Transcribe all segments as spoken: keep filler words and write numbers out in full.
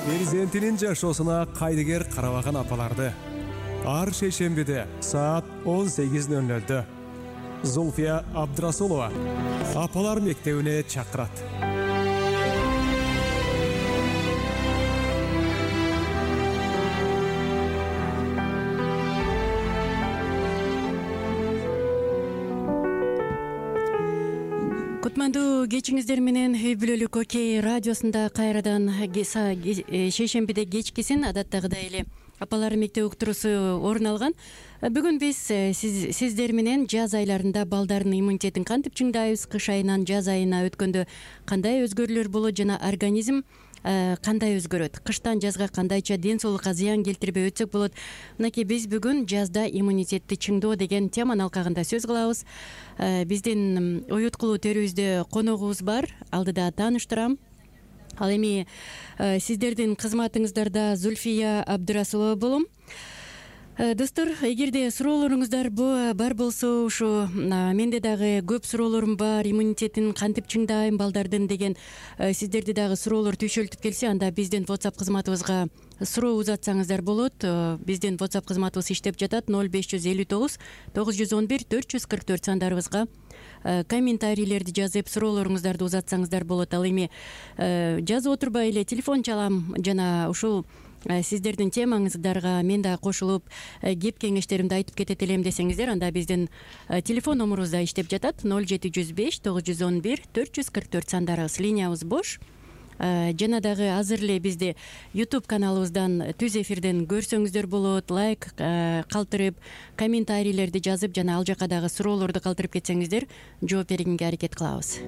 Перзентинин жашоосуна кайдыгер карабаган апаларды ар шейшембиде саат он сегиз ноль нолдо Зульфия Абдрасулова апалар мектебине чакырат. Кутмандуу кечиңиздер менен үй бүлөлүк Окей радиосунда кайрадан шейшембиде кечкисин адаттагыдай эле апалар мектеби уктуруусу орун алган. Бүгүн биз сиз, сиздер менен жаз айларында балдардын иммунитетин кантип чыңдайбыз, кыш айынан жаз айына өткөндө кандай өзгөрүүлөр болот жана организм кандай өзгөрөт, кыштан жазга кандайча ден соолукка зыян келтирбей өтсөк болот. Мынакей биз бүгүн жазда иммунитетти чыңдоо деген теманын алкагында сөз кылабыз. Биздин уюткулуу төрүбүздө коногубуз бар, алдыда тааныштырам. Ал эми сиздердин кызматыңыздарда Зульфия Абдрасулова болом. Достор, эгерде суроолоруңуздар бар болсо, ушу менде дагы көп суроолорум бар, иммунитетин кантип чыңдайм балдардын деген сиздерди дагы суроолор түйшөлтүп келсе, анда биздин WhatsApp кызматыбызга суроо узатсаңыздар болот. Биздин WhatsApp кызматыбыз иштеп жатат ноль беш жүз элүү тогуз тогуз жүз он бир төрт жүз кырк төрт сандарыбызга комментарийлерди жазып суроолоруңуздарды узатсаңыздар болот. Ал эми жазып отурбай эле телефон чалам жана ушул сиздердин темаңыздарга мен да кошулуп кеп кеңештеримди айтып кетет элем десеңиздер, анда биздин телефон номурубуз да иштеп жатат ноль жети жүз беш тогуз жүз он бир төрт жүз кырк төрт сандарыбыз, линиябыз бош. Жана дагы азыр эле бизди YouTube каналыбыздан түз эфирден көрсөңүздөр болот. Лайк калтырып, комментарийлерди жазып жана ал жака дагы суроолорду калтырып кетсеңиздер, жооп бергенге аракет кылабыз.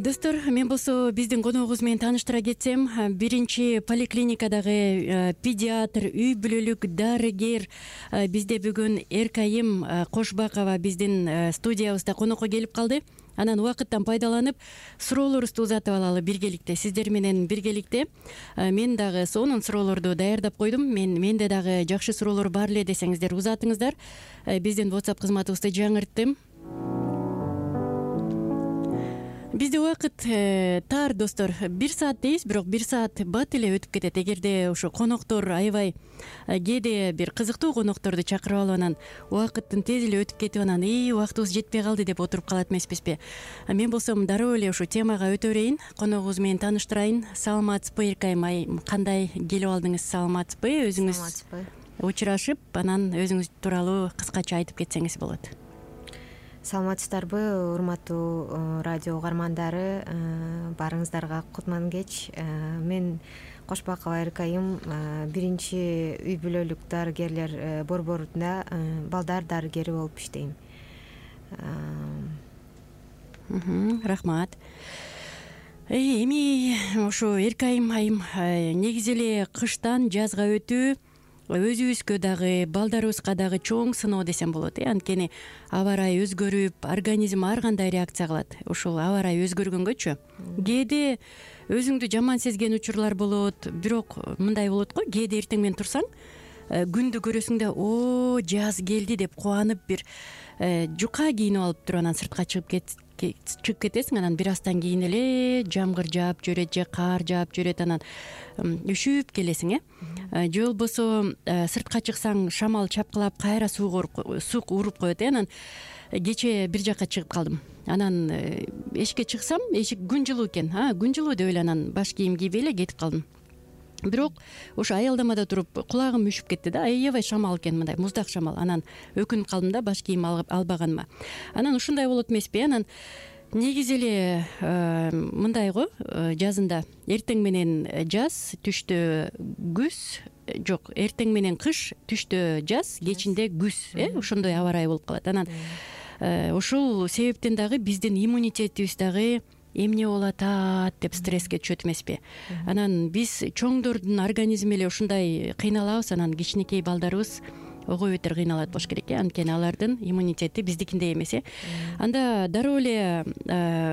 Достор, мен болсо биздин коногубуз менен тааныштыра кетсем, биринчи поликлиникадагы педиатр, үй бүлөлүк дарыгер бизде бүгүн Эркайым Кошбакова биздин студиябызда конокко келип калды. Анан убакыттан пайдаланып суроолорубузду узатып алалы биргеликте, сиздер менен биргеликте. Мен дагы сонун суроолорду даярдап койдум. Мен менде дагы жакшы суроолор бар эле десеңиздер узатыңыздар. Биздин WhatsApp кызматыбызды жаңырттым. Бизде убакыт тар, достор. Бир саат дейбиз, бирок бир саат бат эле өтүп кетет. Эгерде ошо коноктор аябай кээде бир кызыктуу конокторду чакырып алып анан убакыттын тез эле өтүп кетип анан ии убактыбыз жетпей калды деп отуруп калат эмеспизби? Мен болсом дароо эле ушул темага өтө берейин, коногубуз менен тааныштырайын. Саламатсызбы, Эркайым айым? Кандай келип алдыңыз? Саламатсызбы? Өзүңүз учурашып, анан өзүңүз тууралуу кыскача айтып кетсеңиз болот. Саламатсыздарбы, урматтуу радио угармандары, баарыңыздарга кутман кеч. Мен Кошбакова Эркайым, биринчи үй бүлөлүк дарыгерлер борборунда балдар дарыгери болуп иштейм. Рахмат. Эми ошо Эркайым айым, негизи эле кыштан жазга өтүү өзүбүзгө дагы балдарыбызга дагы чоң сыноо десем болот. Анткени аба ырайы өзгөрүп, организм ар кандай реакция кылат. Ушул аба ырайы өзгөргөнгөчү кээде өзүңдү жаман сезген учурлар болот. Бирок мындай болот го, кээде эртең менен турсаң, күндү көрөсүң да, о, жаз келди деп кубанып бир жука кийинип алып туруп анан сыртка чыгып кет чыгып кетесиң. Анан бир аздан кийин эле жамгыр жаап жүрөт же каар жаап жүрөт, анан үшүп келесиң, э же болбосо сыртка чыксаң шамал чапкылап кайра суу сук уруп коет. Анан кече бир жака чыгып калдым. Анан эшикке чыксам, эшик күн жылуу экен. А, күн жылуу деп эле анан баш кийим кийбей эле кетип калдым. Бирок ошо аялдамада туруп кулагым үшүп кетти да, аябай шамал экен, мындай муздак шамал. Анан өкүнүп калдым да, баш кийим албаганыма. Анан ушундай болот эмеспи? Анан негизи эле мындай го, жазында эртең менен жаз, түштө күз, жок, эртең менен кыш, түштө жаз, кечинде күз, э, ошондой аба ырайы болуп калат. Анан ушул себептен дагы биздин иммунитетибиз дагы эмне болуп атат деп стресске түшөт эмеспи? Анан биз чоңдордун организми эле ушундай кыйналабыз, анан кичинекей балдарыбыз ого бетер кыйналат болуш керек, э, анткени алардын иммунитети биздикиндей эмес, э. Анда дароо эле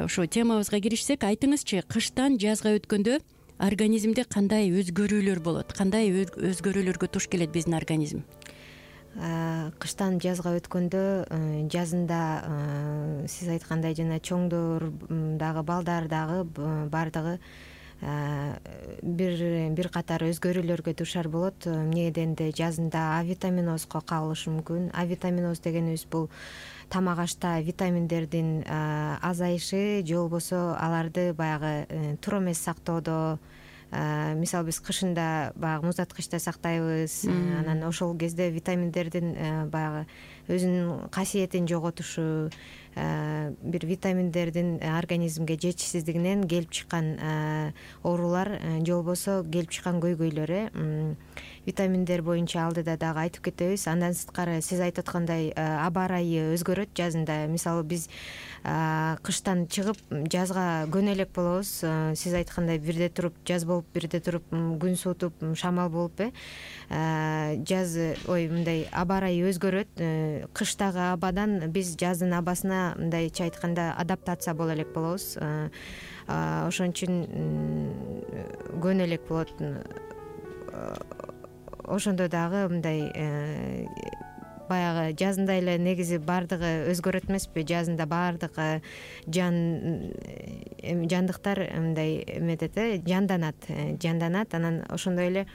ошо темабызга киришсек, айтыңызчы, кыштан жазга өткөндө организмде кандай өзгөрүүлөр болот, кандай өзгөрүүлөргө туш келет биздин организм? кыштан жазга өткөндө жазында сиз айткандай жана чоңдор дагы балдар дагы баардыгы бир бир катар өзгөрүүлөргө дуушар болот. Эмне дегенде жазында А витаминозго кабылышы мүмкүн. А витаминоз дегенибиз бул тамак ашта витаминдердин азайышы же болбосо аларды баягы тура эмес сактоодо. Мисалы биз кышында баягы муздаткычта сактайбыз, анан ошол кезде витаминдердин баягы өзүнүн касиетин жоготушу, бир витаминдердин организмге жетишсиздигинен келип чыккан оорулар же болбосо келип чыккан көйгөйлөр. Витаминдер боюнча алдыда дагы айтып кетебиз. Андан сырткары сиз айтып аткандай аба ырайы өзгөрөт жазында. Мисалы биз кыштан чыгып жазга көнө элек болобуз. Сиз айткандай бирде туруп жаз болуп, бирде туруп күн суутуп, шамал болуп э жаз ой мындай аба ырайы өзгөрөт. Кыштагы абадан биз жаздын абасына мындайча айтканда адаптация боло элек болобуз. Ошон үчүн көнө элек болот. Ошондо дагы мындай баягы жазында эле негизи баардыгы өзгөрөт эмеспи? Жазында баардык жан жандыктар мындай эметет э жанданат, жанданат. Анан ошондой эле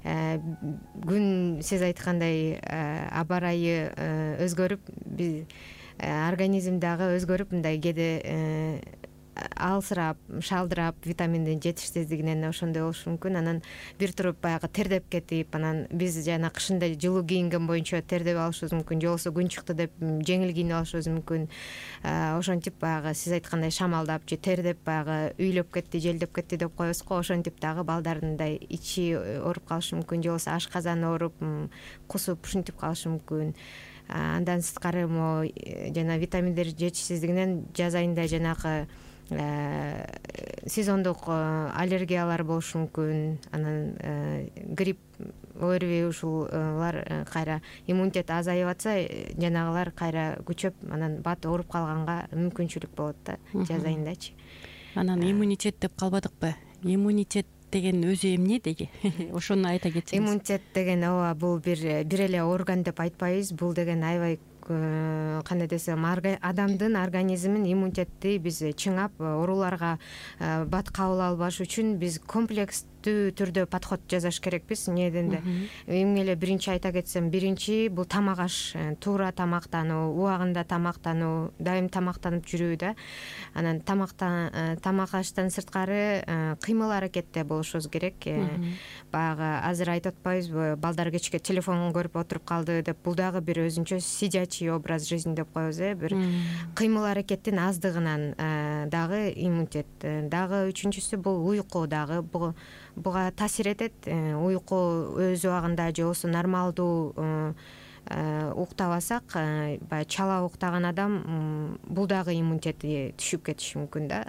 күн сиз айткандай аба ырайы өзгөрүп, биз организм дагы өзгөрүп мындай кээде алсырап, шалдырап витаминдин жетишсиздигинен ошондой болушу мүмкүн. Анан бир туруп баягы тердеп кетип, анан биз жана кышында жылуу кийинген боюнча тердеп алышыбыз мүмкүн, же болбосо күн чыкты деп жеңил кийинип алышыбыз мүмкүн. Ошентип баягы сиз айткандай шамалдап же тердеп баягы үйлөп кетти, желдеп кетти деп коебуз го. Ошентип дагы балдардын мындай ичи ооруп калышы мүмкүн, же болбосо ашказаны ооруп, кусуп ушинтип калышы мүмкүн. Андан сырткары могу жана витаминдер жетишсиздигинен жаз айында жанагы сезондук аллергиялар болушу мүмкүн. Анан грипп, ОРВИ ушулар кайра иммунитет азайып атса, жанагылар кайра күчөп, анан бат ооруп калганга мүмкүнчүлүк болот да жаз айындачы. Анан иммунитет деп калбадыкпы? Иммунитет деген өзү эмне деги? Ошону айта кетсеңиз. Иммунитет деген ооба бул бир бир эле орган деп айтпайбыз. Бул деген аябай кандай десем, адамдын организмин иммунитетти биз чыңап, ооруларга бат кабыл албаш үчүн биз комплекстүү түрдө подход жасаш керекпиз. Эмне дегенде, эң эле биринчи айта кетсем, биринчи бул тамак аш, туура тамактануу, убагында тамактануу, дайым тамактанып жүрүү да. Анан тамактан тамак аштан сырткары кыймыл аракетте болушубуз керек. Баягы азыр айтып атпайбызбы, балдар кечке телефон көрүп отуруп калды деп, бул дагы бир өзүнчө сидячий образ жизни деп коебуз э, бир кыймыл аракеттин аздыгынан дагы иммунитет. Дагы үчүнчүсү бул уйку дагы буга таасир этет. Уйку өз убагында же болбосо нормалдуу уктабасак, баягы чала уктаган адам бул дагы иммунитети түшүп кетиши мүмкүн да.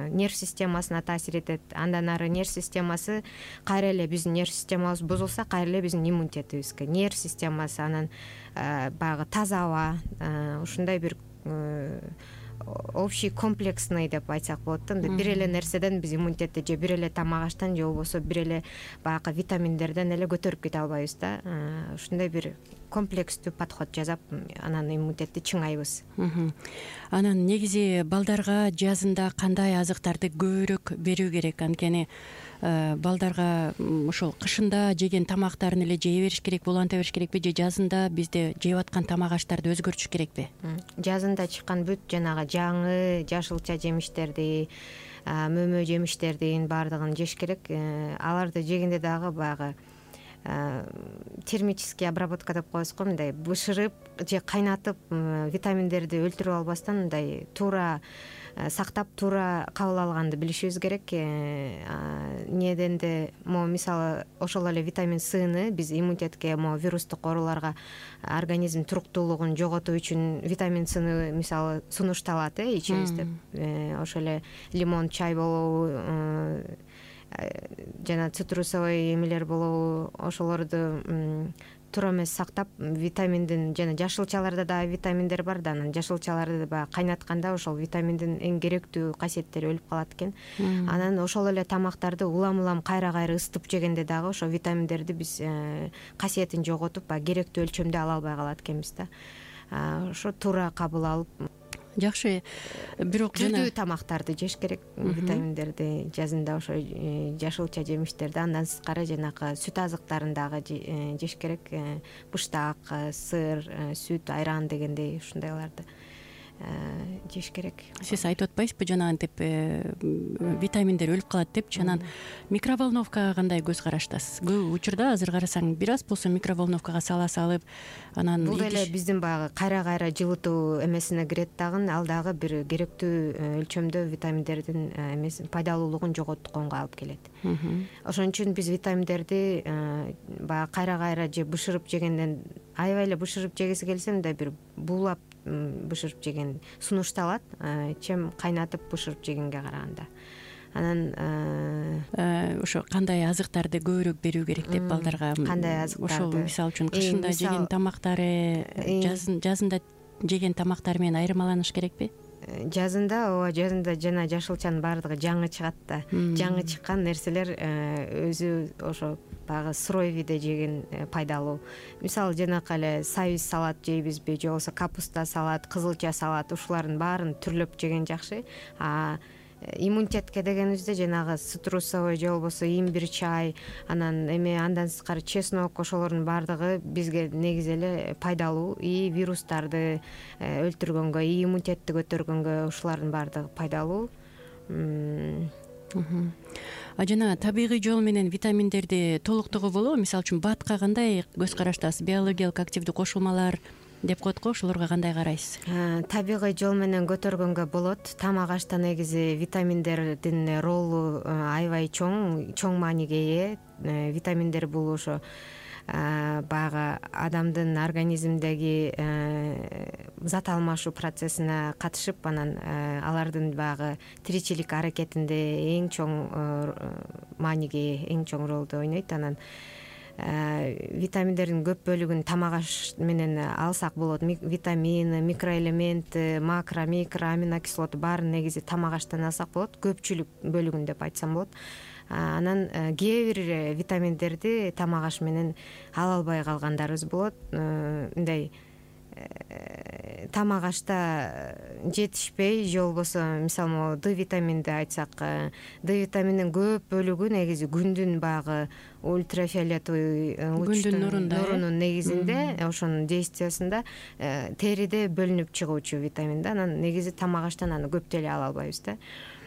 Нерв системасына таасир этет. Андан ары нерв системасы кайра эле биздин нерв системабыз бузулса, кайра эле биздин иммунитетибизге нерв системасы, анан баягы таза аба, ушундай бир общий комплексный деп айтсак болот да. Бир эле нерседен биз иммунитетти же бир эле тамак аштан же болбосо бир эле баягы витаминдерден эле көтөрүп кете албайбыз да. Ушундай бир комплекстүү подход жасап, анан иммунитетти чыңайбыз. Анан негизи балдарга жазында кандай азыктарды көбүрөөк берүү керек? Анткени балдарга ошол кышында жеген тамактарын эле жей бериш керек, буланта бериш керекпи, же жазында бизде жеп аткан тамак аштарды өзгөртүш керекпи? Жазында чыккан бүт жанагы жаңы жашылча жемиштерди, мөмө жемиштердин баардыгын жеш керек. Аларды жегенде дагы баягы термический обработка деп коебуз го, мындай бышырып же кайнатып витаминдерди өлтүрүп албастан мындай туура сактап, туура кабыл алганды билишибиз керек. Эмне дегенде, могу мисалы ошол эле витамин Сны биз иммунитетке, могу вирустук ооруларга организм туруктуулугун жоготуу үчүн витамин Сны мисалы сунушталат э ичибизде. Ошол эле лимон чай болобу, жана цитрусовый эмелер болобу, ошолорду туура эмес сактап, витаминдин жана жашылчаларда дагы витаминдер бар да, анан жашылчаларды баягы кайнатканда ошол витаминдин эң керектүү касиеттери өлүп калат экен. Анан ошол эле тамактарды улам улам кайра кайра ысытып жегенде дагы ошо витаминдерди биз касиетин жоготуп, баягы керектүү өлчөмдө ала албай калат экенбиз да. Ошо туура кабыл алып, жакшы. Бирок түрдүү тамактарды жеш керек, витаминдерди жазында ошо жашылча жемиштерди, андан сырткары жанагы сүт азыктарын дагы жеш керек. Быштак, сыр, сүт, айран дегендей ушундайларды жеш керек. Сиз айтып атпайсызбы жанагынтип витаминдер өлүп калат депчи? Анан микроволновкага кандай көз караштасыз? Көп учурда азыр карасаң бир аз болсо микроволновкага сала салып, анан бул эле биздин баягы кайра кайра жылытуу эмесине кирет дагы, ал дагы бир керектүү өлчөмдө витаминдердин эмесин пайдалуулугун жоготконго алып келет. Ошон үчүн биз витаминдерди баягы кайра кайра же бышырып жегенден, аябай эле бышырып жегиси келсе, мындай бир буулап бышырып жеген сунушталат, чем кайнатып бышырып жегенге караганда. Анан ошо кандай азыктарды көбүрөөк берүү керек деп балдарга? Кандай азыктарды? Ошол мисалы үчүн кышында жеген тамактары жазында жеген тамактары менен айырмаланыш керекпи? Жазында, ооба, жазында жана жашылчанын баардыгы жаңы чыгат да. Жаңы чыккан нерселер өзү ошо баягы сырой виде жеген пайдалуу. Мисалы жанакы эле сабиз салат жейбизби, же болбосо капуста салат, кызылча салат, ушулардын баарын түрлөп жеген жакшы. А иммунитетке дегенибизде жанагы цитрусовый же болбосо имбирь чай, анан эме андан сырткары чеснок, ошолордун баардыгы бизге негизи эле пайдалуу. И вирустарды өлтүргөнгө, и иммунитетти көтөргөнгө ушулардын баардыгы пайдалуу. А жана табигый жол менен витаминдерди толуктоого болобу? Мисалы үчүн батка кандай көз караштасыз? Биологиялык активдүү кошулмалар деп коет го, ошолорго кандай карайсыз? Табигый жол менен көтөргөнгө болот. Тамак ашта негизи витаминдердин ролу аябай чоң, чоң мааниге ээ. Витаминдер бул ошо баягы адамдын организмдеги зат алмашуу процессине катышып, анан алардын баягы тиричилик аракетинде эң чоң мааниге ээ, эң чоң ролду ойнойт. Анан витаминдердин көп бөлүгүн тамак аш менен алсак болот. Витамин, микроэлемент, макро, микро, аминокислота баарын негизи тамак аштан алсак болот. Көпчүлүк бөлүгүн деп айтсам болот. Анан кээ бир витаминдерди тамак аш менен ала албай калгандарыбыз болот. Мындай тамак ашта жетишпей, же болбосо мисалы могу Д витаминди айтсак, Д витаминдин көп бөлүгү негизи күндүн баягы ультрафиолетовый күндүн нурунун негизинде, ошонун действиясында териде бөлүнүп чыгуучу витамин да. Анан негизи тамак аштан аны көп деле ала албайбыз да.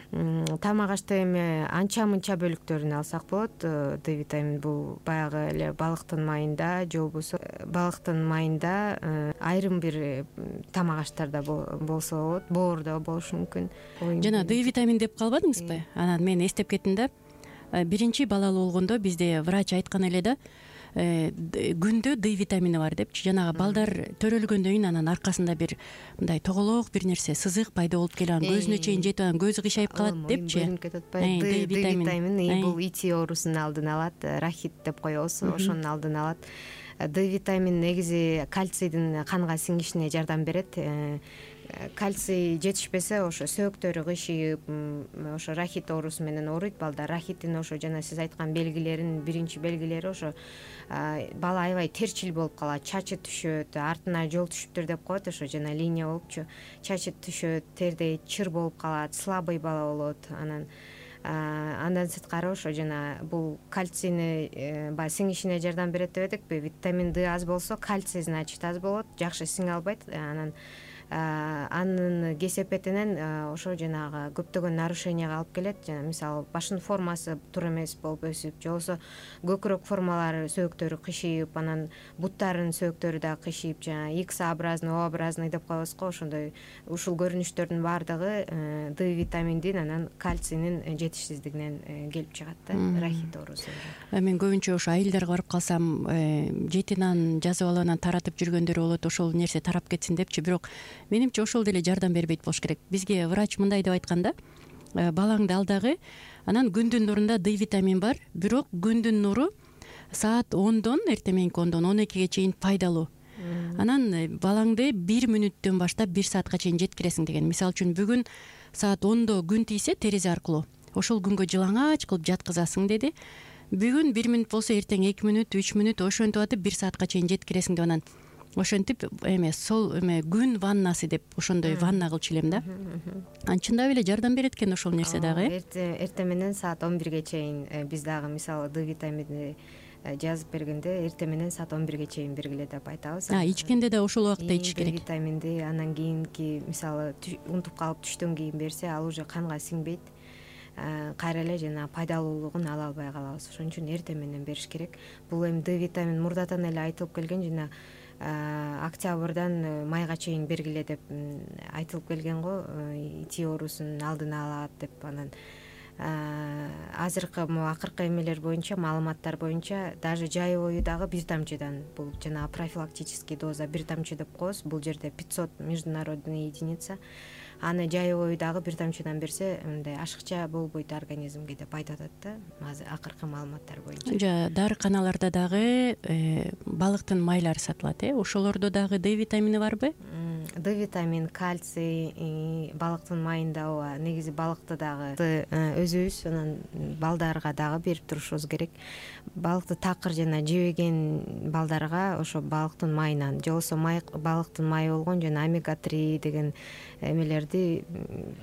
Тамак ашта эми анча мынча бөлүктөрүн алсак болот. Д витамин бул баягы эле балыктын майында, же болбосо балыктын майында, айрым бир тамак аштарда болсо болот, боордо болушу мүмкүн. Жана Д витамин деп калбадыңызбы? Анан мен эстеп кеттим да. Биринчи балалуу болгондо бизде врач айткан эле да, күндө Д витамини бар депчи. Жанагы балдар төрөлгөндөн кийин анан аркасында бир мындай тоголок бир нерсе, сызык пайда болуп келип, анан көзүнө чейин жетип, анан көзү кыйшайып калат депчи. Д витамини бул ити оорусунун алдын алат, рахит деп коебуз, ошонун алдын алат. Д витамин негизи кальцийдин канга сиңишине жардам берет. Кальций жетишпесе ошо сөөктөрү кыйшайып, ошо рахит оорусу менен ооруйт балдар. Рахиттин ошо жана сиз айткан белгилерин биринчи белгилери ошо бала аябай терчил болуп калат, чачы түшөт, артына жол түшүптүр деп коет, ошо жана линия болупчу. Чачы түшөт, терде чыр болуп калат, слабый бала болот. Анан андан сырткары ошо жана бул кальцийни баягы сиңишине жардам берет деп эдикпи? Витамин Д аз болсо, кальций значит аз болот, жакшы сиңе албайт. Анан анын кесепетинен ошо жанагы көптөгөн нарушенияга алып келет. Жана мисалы башынын формасы туура эмес болуп өсүп, же болбосо көкүрөк формалары, сөөктөрү кыйшайып, анан буттарынын сөөктөрү да кыйшайып, жана X-образный, O-образный деп коебуз го, ошондой ушул көрүнүштөрдүн баардыгы Д витаминдин анан кальцийнин жетишсиздигинен келип чыгат да, рахит оорусу. Мен көбүнчө ошо айылдарга барып калсам, жети нан жазып алып анан таратып жүргөндөр болот, ошол нерсе тарап кетсин депчи. Бирок менимче ошол деле жардам бербейт болуш керек. Бизге врач мындай деп айткан да, балаңды ал дагы, анан күндүн нурунда Д витамин бар, бирок күндүн нуру саат ондон эртең мененки ондон он экиге чейин пайдалуу. Анан балаңды бир мүнөттөн баштап бир саатка чейин жеткиресиң деген. Мисалы үчүн бүгүн саат ондо күн тийсе терезе аркылуу ошол күнгө жылаңач кылып жаткызасың деди. Бүгүн бир мүнөт болсо эртең эки мүнөт, үч мүнөт ошентип атып бир саатка чейин жеткиресиң деп анан ошентип эме сол эме күн ваннасы деп ошондой ванна кылчу элем да. Анан чындап эле жардам берет экен ошол нерсе дагы. Эртең менен саат он бирге чейин биз дагы мисалы Д витамини жазып бергенде эртең менен саат он бирге чейин бергиле деп айтабыз. А ичкенде да ошол убакта ичиш керек. Д витаминди анан кийинки мисалы унутуп калып түштөн кийин берсе ал уже канга сиңбейт. Кайра эле жана пайдалуулугун ала албай калабыз. Ошон үчүн эртең менен бериш керек. Бул эми Д витамин мурдатан эле айтылып келген, жана октябрдан майга чейин бергиле деп айтылып келген го, ити оорусунун алдын алат деп. Анан азыркы могу акыркы эмелер боюнча, маалыматтар боюнча даже жайоою дагы бир тамчыдан, бул жана профилактический доза бир тамчы деп коебуз. Бул жерде пятьсот международный единица. Аны жайоою дагы бир тамчыдан берсе мындай ашыкча болбойт организмге деп айтып атат да, азыр акыркы маалыматтар боюнча. Дарыканаларда дагы балыктын майлары сатылат, э? Ошолордо дагы Д витамини барбы? Д витамин, кальций балыктын майында ооба. Негизи балыкты дагы өзүбүз анан балдарга дагы берип турушубуз керек. Балыкты такыр жана жебеген балдарга ошо балыктын майынан, же болбосо балыктын майы болгон жана омега три деген эмелерди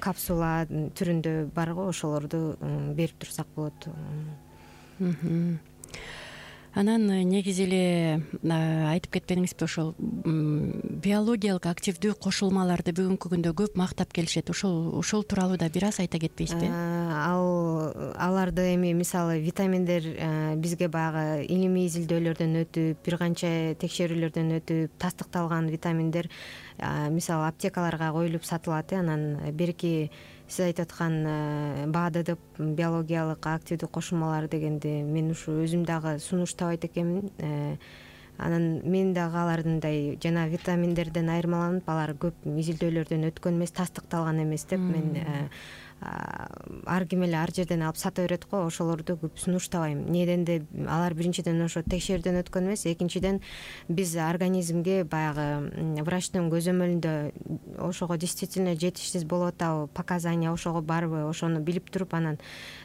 капсула түрүндө бар го, ошолорду берип турсак болот. Анан негизи эле айтып кетпедиңизби, ошол биологиялык активдүү кошулмаларды бүгүнкү күндө көп мактап келишет. Ошол ошол тууралуу да бир аз айта кетпейсизби? Ал аларды эми мисалы витаминдер бизге баягы илимий изилдөөлөрдөн өтүп, бир канча текшерүүлөрдөн өтүп тастыкталган витаминдер мисалы аптекаларга коюлуп сатылат. Анан берки сиз айтып аткан БАДы биологиялык активдүү кошулмалар дегенди мен ушу өзүм дагы сунуштабайт экенмин. Анан мен дагы алардындай жана витаминдерден айырмаланып, алар көп изилдөөлөрдөн өткөн эмес, тастыкталган эмес деп мен ар ким эле ар жерден алып сата берет го, ошолорду көп сунуштабайм. Неденде алар биринчиден ошо текшерүүдөн өткөн эмес, экинчиден биз организмге баягы врачтын көзөмөлүндө ошого действительно жетишсиз болуп атабы, показания ошого барбы, ошону билип туруп анан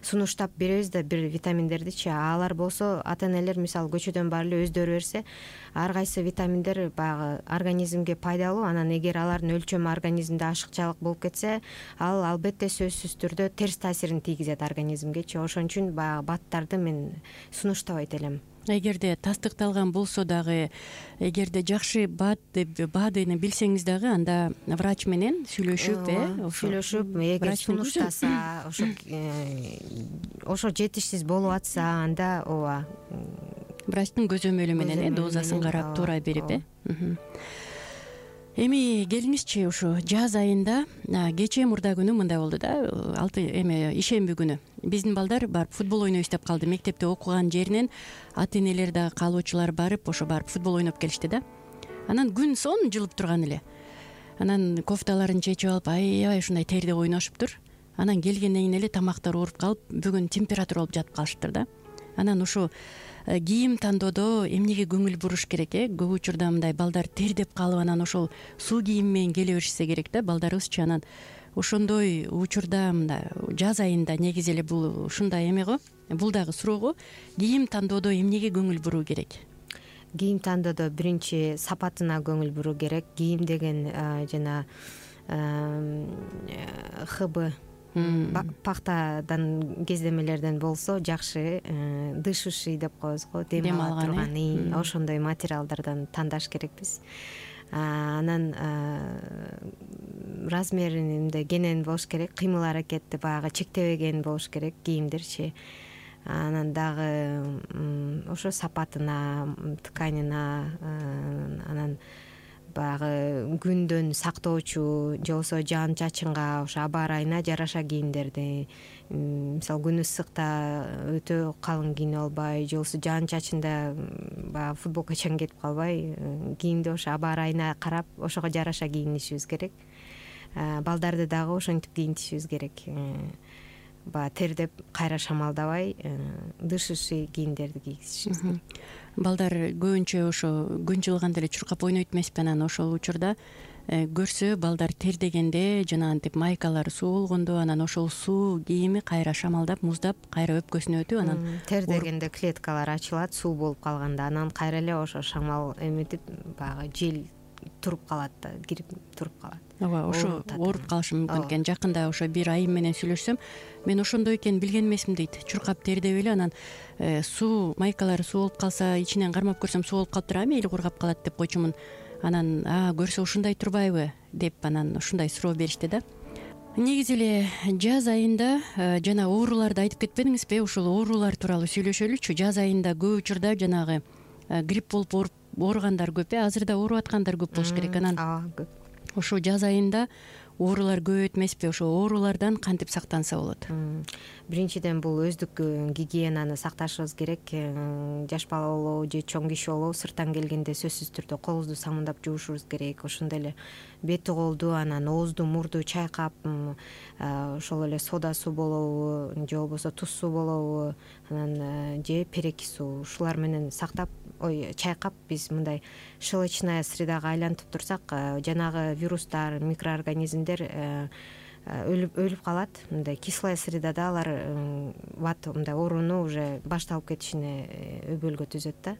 сунуштап беребиз да бир витаминдердичи. Алар болсо ата энелер мисалы көчөдөн баары эле өздөрү берсе, ар кайсы витаминдер баягы организмге пайдалуу. Анан эгер алардын өлчөмү организмде ашыкчалык болуп кетсе, ал албетте сөзсүз түрдө терс таасирин тийгизет организмгечи. Ошон үчүн баягы баттарды мен сунуштабайт элем. Эгерде тастыкталган болсо дагы, эгерде жакшы бат деп БАДыны билсеңиз дагы, анда врач менен сүйлөшүп, э, сүйлөшүп, эгер сунуштаса, ошо ошо жетишсиз болуп атса, анда ооба врачтын көзөмөлү менен, э, дозасын карап туура берип, э. Эми келиңизчи, ушу жаз айында кечээ мурда күнү мындай болду да, алты эме ишемби күнү биздин балдар барып футбол ойнойбуз деп калды. Мектепте окуган жеринен ата энелер дагы каалоочулар барып ошо барып футбол ойноп келишти да. Анан күн сон жылып турган эле. Анан кофталарын чечип алып, аябай ушундай терде ойношуптур. Анан келгенден кийин эле тамактар ооруп калып, бүгүн температура болуп жатып калышыптыр да. Анан ушу кийим тандоодо эмнеге көңүл буруш керек, э? Көп учурда мындай балдар тердеп калып, анан ошол суу кийим менен келе беришсе керек да балдарыбызчы. Анан ошондой учурда мындай жаз айында негизи эле бул ушундай эме го, бул дагы суроо го. Кийим тандоодо эмнеге көңүл буруу керек? Кийим тандоодо биринчи сапатына көңүл буруу керек. Кийим деген жана ХБ пахтадан кездемелерден болсо жакшы, дышущий деп коебуз го, дем ала турган, ошондой материалдардан тандаш керекпиз. Анан размери мындай кенен болуш керек, кыймыл аракети баягы чектебеген болуш керек кийимдерчи. Анан дагы ошо сапатына, тканына, анан баягы күндөн сактоочу, же болбосо жаан чачынга, ошо аба ырайына жараша кийимдерди, мисалы күн ысыкта өтө калың кийинип албай, же болбосо жаан чачында баягы футболка чаң кетип калбай, кийимди ошо аба ырайына карап ошого жараша кийинишибиз керек. Балдарды дагы ошентип кийинтишибиз керек. баягы тердеп кайра шамалдабай дышышый кийимдерди кийгизишибиз керек. Балдар көбүнчө ошо күн жылганда эле чуркап ойнойт эмеспи, анан ошол учурда көрсө балдар тердегенде жанагынтип майкалары суу болгондо анан ошол суу кийими кайра шамалдап муздап кайра өпкөсүнө өтүп анан тердегенде клеткалар ачылат суу болуп калганда, анан кайра эле ошо шамал эметип баягы жел туруп калат да, кирип туруп калат. ооба ошо ооруп калышы мүмкүн экен. Жакында ошо бир айым менен сүйлөшсөм, мен ошондой экенин билген эмесмин дейт. Чуркап тердеп эле анан суу майкалары суу болуп калса ичинен кармап көрсөм суу болуп калыптыр, а мейли кургап калат деп койчумун. Анан а көрсө ушундай турбайбы деп анан ушундай суроо беришти да. Негизи эле жаз айында жана ооруларды айтып кетпедиңизби? Ушул оорулар тууралуу сүйлөшөлүчү. Жаз айында көп учурда жанагы грипп болуп ооругандар көп, э азыр да ооруп аткандар көп болуш керек. Анан көп. Ошо жаз айында оорулар көбөйөт эмеспи? Ошо оорулардан кантип сактанса болот? Биринчиден бул өздүк гигиенаны сакташыбыз керек. Жаш бала болобу же чоң киши болобу сырттан келгенде сөзсүз түрдө колубузду самындап жуушубуз керек. Ошондой эле бети колду, анан оозду мурду чайкап, ошол эле сода суу болобу же болбосо туз суу болобу, анан же переки суу, ушулар менен сактап, ой чайкап биз мындай щелочная средага айлантып турсак, жанагы вирустар, микроорганизмдер өлүп өлүп калат. Мындай кислая средада алар бат мындай ооруну уже башталып кетишине өбөлгө түзөт да.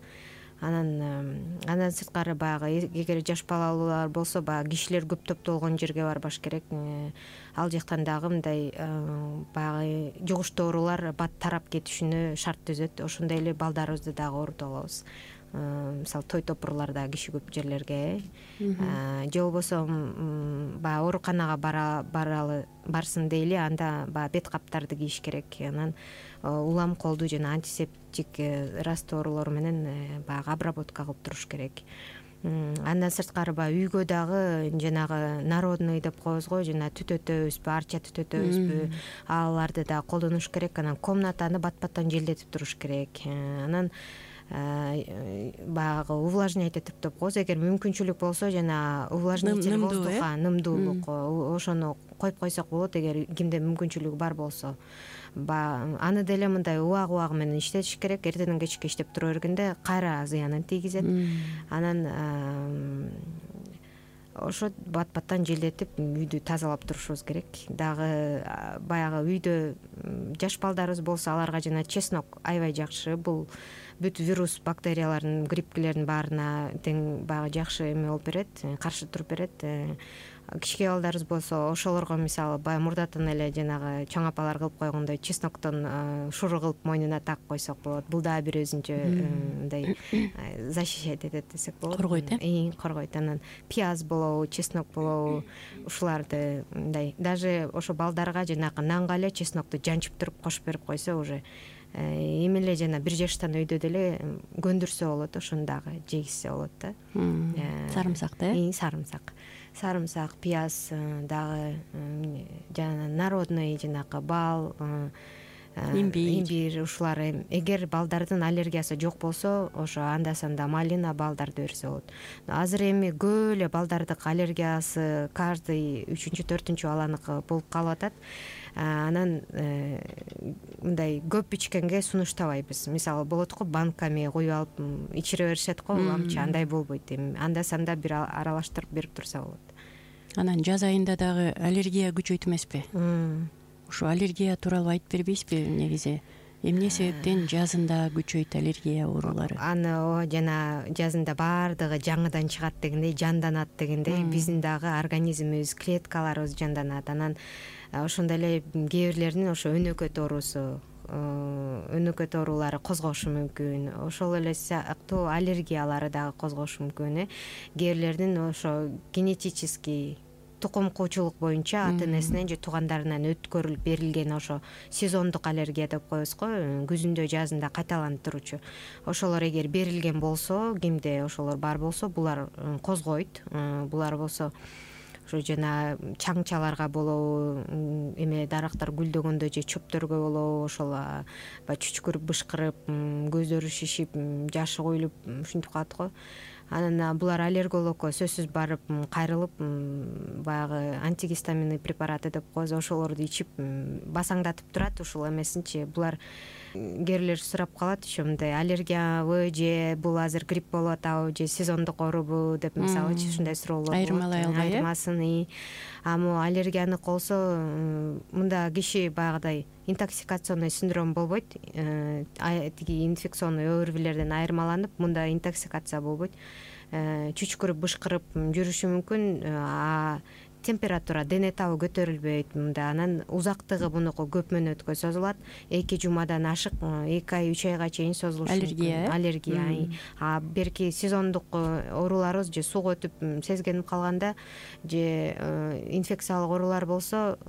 Анан андан сырткары баягы эгер жаш балалуулар болсо, баягы кишилер көп топтолгон жерге барбаш керек. Ал жактан дагы мындай баягы жугуштуу оорулар бат тарап кетишине шарт түзөт. Ошондой эле балдарыбызды дагы оорутуп алабыз. Мисалы той топурларда киши көп жерлерге, же болбосо баягы ооруканага баралы барсын дейли, анда баягы бет каптарды кийиш керек. Анан улам колду жана антисептик растворлор менен баягы обработка кылып туруш керек. Андан сырткары баягы үйгө дагы жанагы народный деп коебуз го, жана түтөтөбүзбү, арча түтөтөбүзбү, аларды дагы колдонуш керек. Анан комнатаны бат-баттан желдетип туруш керек. Анан баягы увлажнять этип деп коебуз. Эгер мүмкүнчүлүк болсо жана увлажнитель воздуха, нымдуулук, ошону коюп койсок болот, эгер кимде мүмкүнчүлүгү бар болсо. Аны деле мындай убак-убагы менен иштетиш керек. Эртеден кечке иштеп тура бергенде кайра зыянын тийгизет. Анан ошо бат-баттан желдетип үйдү тазалап турушубуз керек. Дагы баягы үйдө жаш балдарыбыз болсо, аларга жана чеснок аябай жакшы. Бул бүт вирус, бактериялардын, гриппкилердин баарына тең баягы жакшы эме болуп берет, каршы туруп берет. Кичке балдарыбыз болсо, ошолорго мисалы баягы мурдатан эле жанагы чоң апалар кылып койгондой чесноктон шуру кылып мойнуна тагып койсок болот. Бул дагы бир өзүнчө мындай защищать этет десек болот. Коргойт, э? Коргойт. Анан пияз болобу, чеснок болобу, ушуларды мындай даже ошо балдарга жанагы нанга эле чеснокту жанчып туруп кошуп берип койсо, уже эмеле жана бир жаштан өйдө деле көндүрсө болот, ошону дагы жегизсе болот да. Сарымсак да, э? Сарымсак. Сарымсак, пияз, дагы жана народный жанагы бал, имбирь, ушулар. Эгер балдардын аллергиясы жок болсо, ошо анда-санда малина, балдарды берсе болот. Азыр эми көп эле балдардык аллергиясы каждый үчүнчү, төртүнчү баланыкы болуп калып атат. Анан мындай көп ичкенге сунуштабайбыз. Мисалы болот го, банками куюп алып ичире беришет го, уламчы андай болбойт. Эми анда-санда бир аралаштырып берип турса болот. Анан жаз айында дагы аллергия күчөйт эмеспи? Ушу аллергия тууралуу айтып бербейсизби? Негизи эмне себептен жазында күчөйт аллергия оорулары? Аны жана жазында баардыгы жаңыдан чыгат дегендей, жанданат дегендей, биздин дагы организмибиз, клеткаларыбыз жанданат. Анан ошондой эле кээ бирлердин ошо өнөкөт оорусу, өнөкөт оорулары козгошу мүмкүн. Ошол эле сыяктуу аллергиялары дагы козгошу мүмкүн. Кээ бирлердин ошо генетический тукум куучулук боюнча ата-энесинен же туугандарынан өткөрүлүп берилген ошо сезондук аллергия деп коебуз го, күзүндө жазында кайталанып туручу. Ошолор эгер берилген болсо, кимде ошолор бар болсо, булар козгойт. Булар болсо ошо жана чаңчаларга болобу, эме дарактар гүлдөгөндө же чөптөргө болобу, ошол баягы чүчкүрүп, бышкырып, көздөрү шишип, жашы куюлуп ушинтип калат го. анан булар аллергологко сөзсүз барып кайрылып баягы антигистаминный препараты деп коебуз, ошолорду ичип басаңдатып турат. Ушул эмесинчи булар кээрлер сурап калат еще мындай аллергиябы же бул азыр грипп болуп атабы же сезондук оорубу деп мисалычы ушундай суроолор болот. Айырмалай албай э айырмасын. А могу аллергияныкы болсо мында киши баягыдай интоксикационный синдром болбойт, тиги инфекционный оорубилерден айырмаланып мында интоксикация болбойт, чүчкүрүп бышкырып жүрүшү мүмкүн, а температура, дене табы көтөрүлбөйт мында. Анан узактыгы бунуку көп мөөнөткө созулат, эки жумадан ашык эки ай үч айга чейин созулушу аллергия. Аллергия. А берки сезондук ооруларыбыз же сууга өтүп сезгенип калганда же инфекциялык оорулар болсо,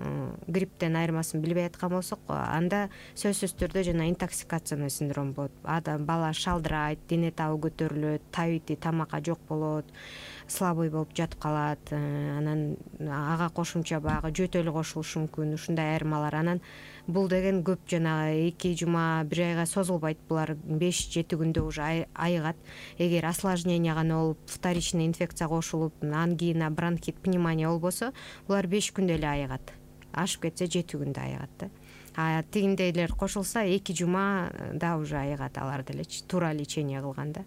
грипптен айырмасын билбей аткан болсок, анда сөзсүз түрдө жана интоксикационный синдром болот. Адам бала шалдырайт, дене табы көтөрүлөт, табити тамакка жок болот, слабый болуп жатып калат. Анан ага кошумча баягы жөтөлү кошулушу мүмкүн. Ушундай айырмалар. Анан бул деген көп жанагы эки жума бир айга созулбайт. Булар беш жети күндө уже айыгат. Эгер осложнение гана болуп, вторичный инфекция кошулуп, ангина, бронхит, пневмония болбосо, булар беш күндө эле айыгат. Ашып кетсе жети күндө айыгат да. А тигиндейлер кошулса эки жума да уже айыгат алар делечи. Туура лечение кылганда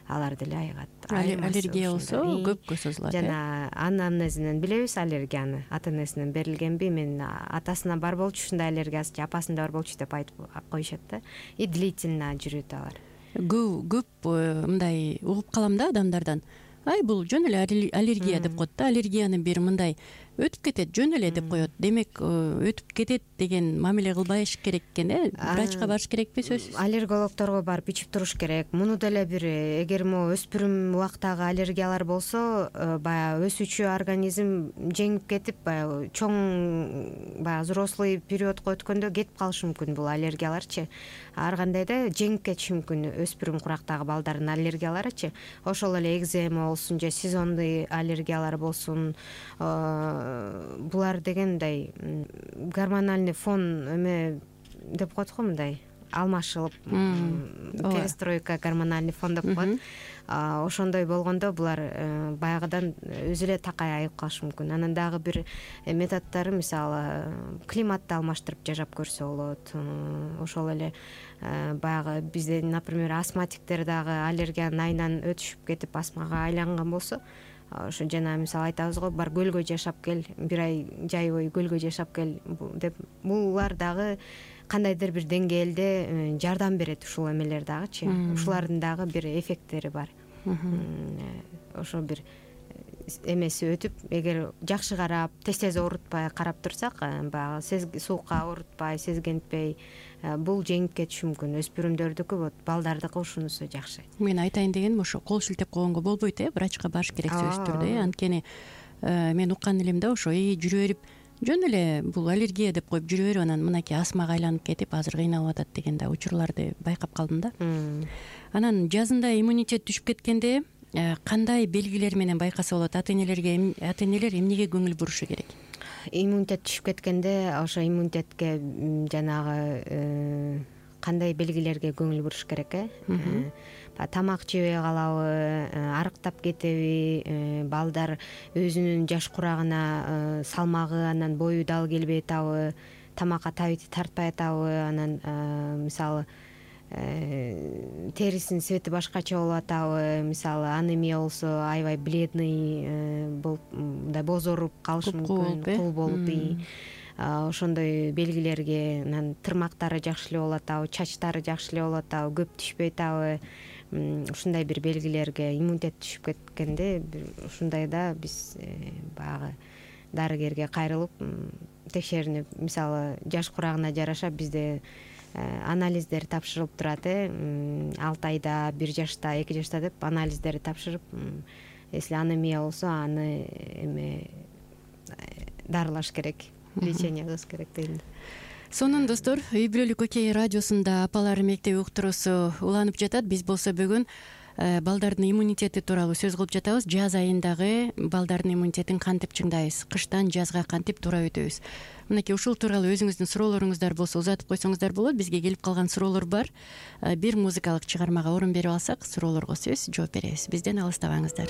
алар деле айыгат. Аллергия болсо көпкө созулат. Жана анамнезинен билебиз аллергияны. Ата энесинен берилгенби? Мен атасына бар болчу ушундай аллергиясы, апасында бар болчу деп айтып коюшат да. И длительно жүрөт алар. Көп көп мындай угуп калам да адамдардан. Ай бул жөн эле аллергия деп коет да. Аллергияны бир мындай өтүп кетет, жөн эле деп коет. Демек, өтүп кетет деген мамиле кылбаш керек экен э? Врачка барыш керекпи сөзсүз? Аллергологторго барып ичип туруш керек. Муну деле бир эгер могу өспүрүм убактагы аллергиялар болсо, баягы өсүүчү организм жеңип кетип, баягы чоң баягы взрослый периодко өткөндө кетип калышы мүмкүн бул аллергияларчы. Ар кандайда жеңип кетиши мүмкүн өспүрүм курактагы балдардын аллергияларычы. Ошол эле экзема болсун же сезонный аллергиялар болсун, булар дегендай гормональный фон эме деп коет го, мындай алмашылып, перестройка, гормональный фон деп коет. Ошондой болгондо булар баягыдан өзү эле такай айып калышы мүмкүн. Анан дагы бир методдору, мисалы, климатты алмаштырып жашап көрсө болот. Ошол эле баягы бизде, например, астматиктер дагы аллергиянын айынан өтүшүп кетип астмага айланган болсо, ошо жана мисалы айтабыз го, бар көлгө жашап кел, бир ай жай бою көлгө жашап кел деп, булар дагы кандайдыр бир деңгээлде жардам берет ушул эмелер дагычы. Ушулардын дагы бир эффекттери бар. Ошо бир эмеси өтүп, эгер жакшы карап, тез-тез оорутпай карап турсак, баягы суукка оорутпай, сезгентпей, бул жеңип кетиши мүмкүн. Өспүрүмдөрдүкү, вот балдардыкы ушунусу жакшы. Мен айтайын дегеним ошо кол шилтеп койгонго болбойт э, врачка барыш керек сөзсүз түрдө. Анткени мен уккан элем да ошо жүрө берип, жөн эле бул аллергия деп коюп жүрө берип, анан мынакей астмага айланып кетип азыр кыйналып атат деген да учурларды байкап калдым да. Анан жазында иммунитет түшүп кеткенде кандай белгилер менен байкаса болот? Ата энелерге ата энелер эмнеге көңүл бурушу керек? Иммунитет түшүп кеткенде ошо иммунитетке жанагы кандай белгилерге көңүл буруш керек э? Тамак жебей калабы, арыктап кетеби, балдар өзүнүн жаш курагына салмагы, анан бою дал келбей атабы, тамакка табити тартпай атабы, анан мисалы терисинин цвети башкача болуп атабы, мисалы анемия болсо аябай бледный болуп, мындай бозоруп калышы мүмкүн, кул болуп. Ошондой белгилерге, анан тырмактары жакшы эле болуп атабы, чачтары жакшы эле болуп атабы, көп түшпөй атабы, ушундай бир белгилерге иммунитет түшүп кеткенде, ушундайда биз баягы дарыгерге кайрылып текшеринип, мисалы жаш курагына жараша бизде анализдер тапшырылып турат э, алты айда, бир жашта, эки жашта деп анализдерди тапшырып, если анемия болсо аны эме дарылаш керек, лечение кылыш керек дейм. Сонун достор, Үй бүлөлүк Окей радиосунда апалар мектеби уктуруусу уланып жатат. Биз болсо бүгүн балдардын иммунитети тууралуу сөз кылып жатабыз. Жаз айындагы балдардын иммунитетин кантип чыңдайбыз, кыштан жазга кантип туура өтөбүз. Мынакей ушул тууралуу өзүңүздүн суроолоруңуздар болсо узатып койсоңуздар болот. Бизге келип калган суроолор бар. Бир музыкалык чыгармага орун берип алсак, суроолорго сөз жооп беребиз. Бизден алыстабаңыздар.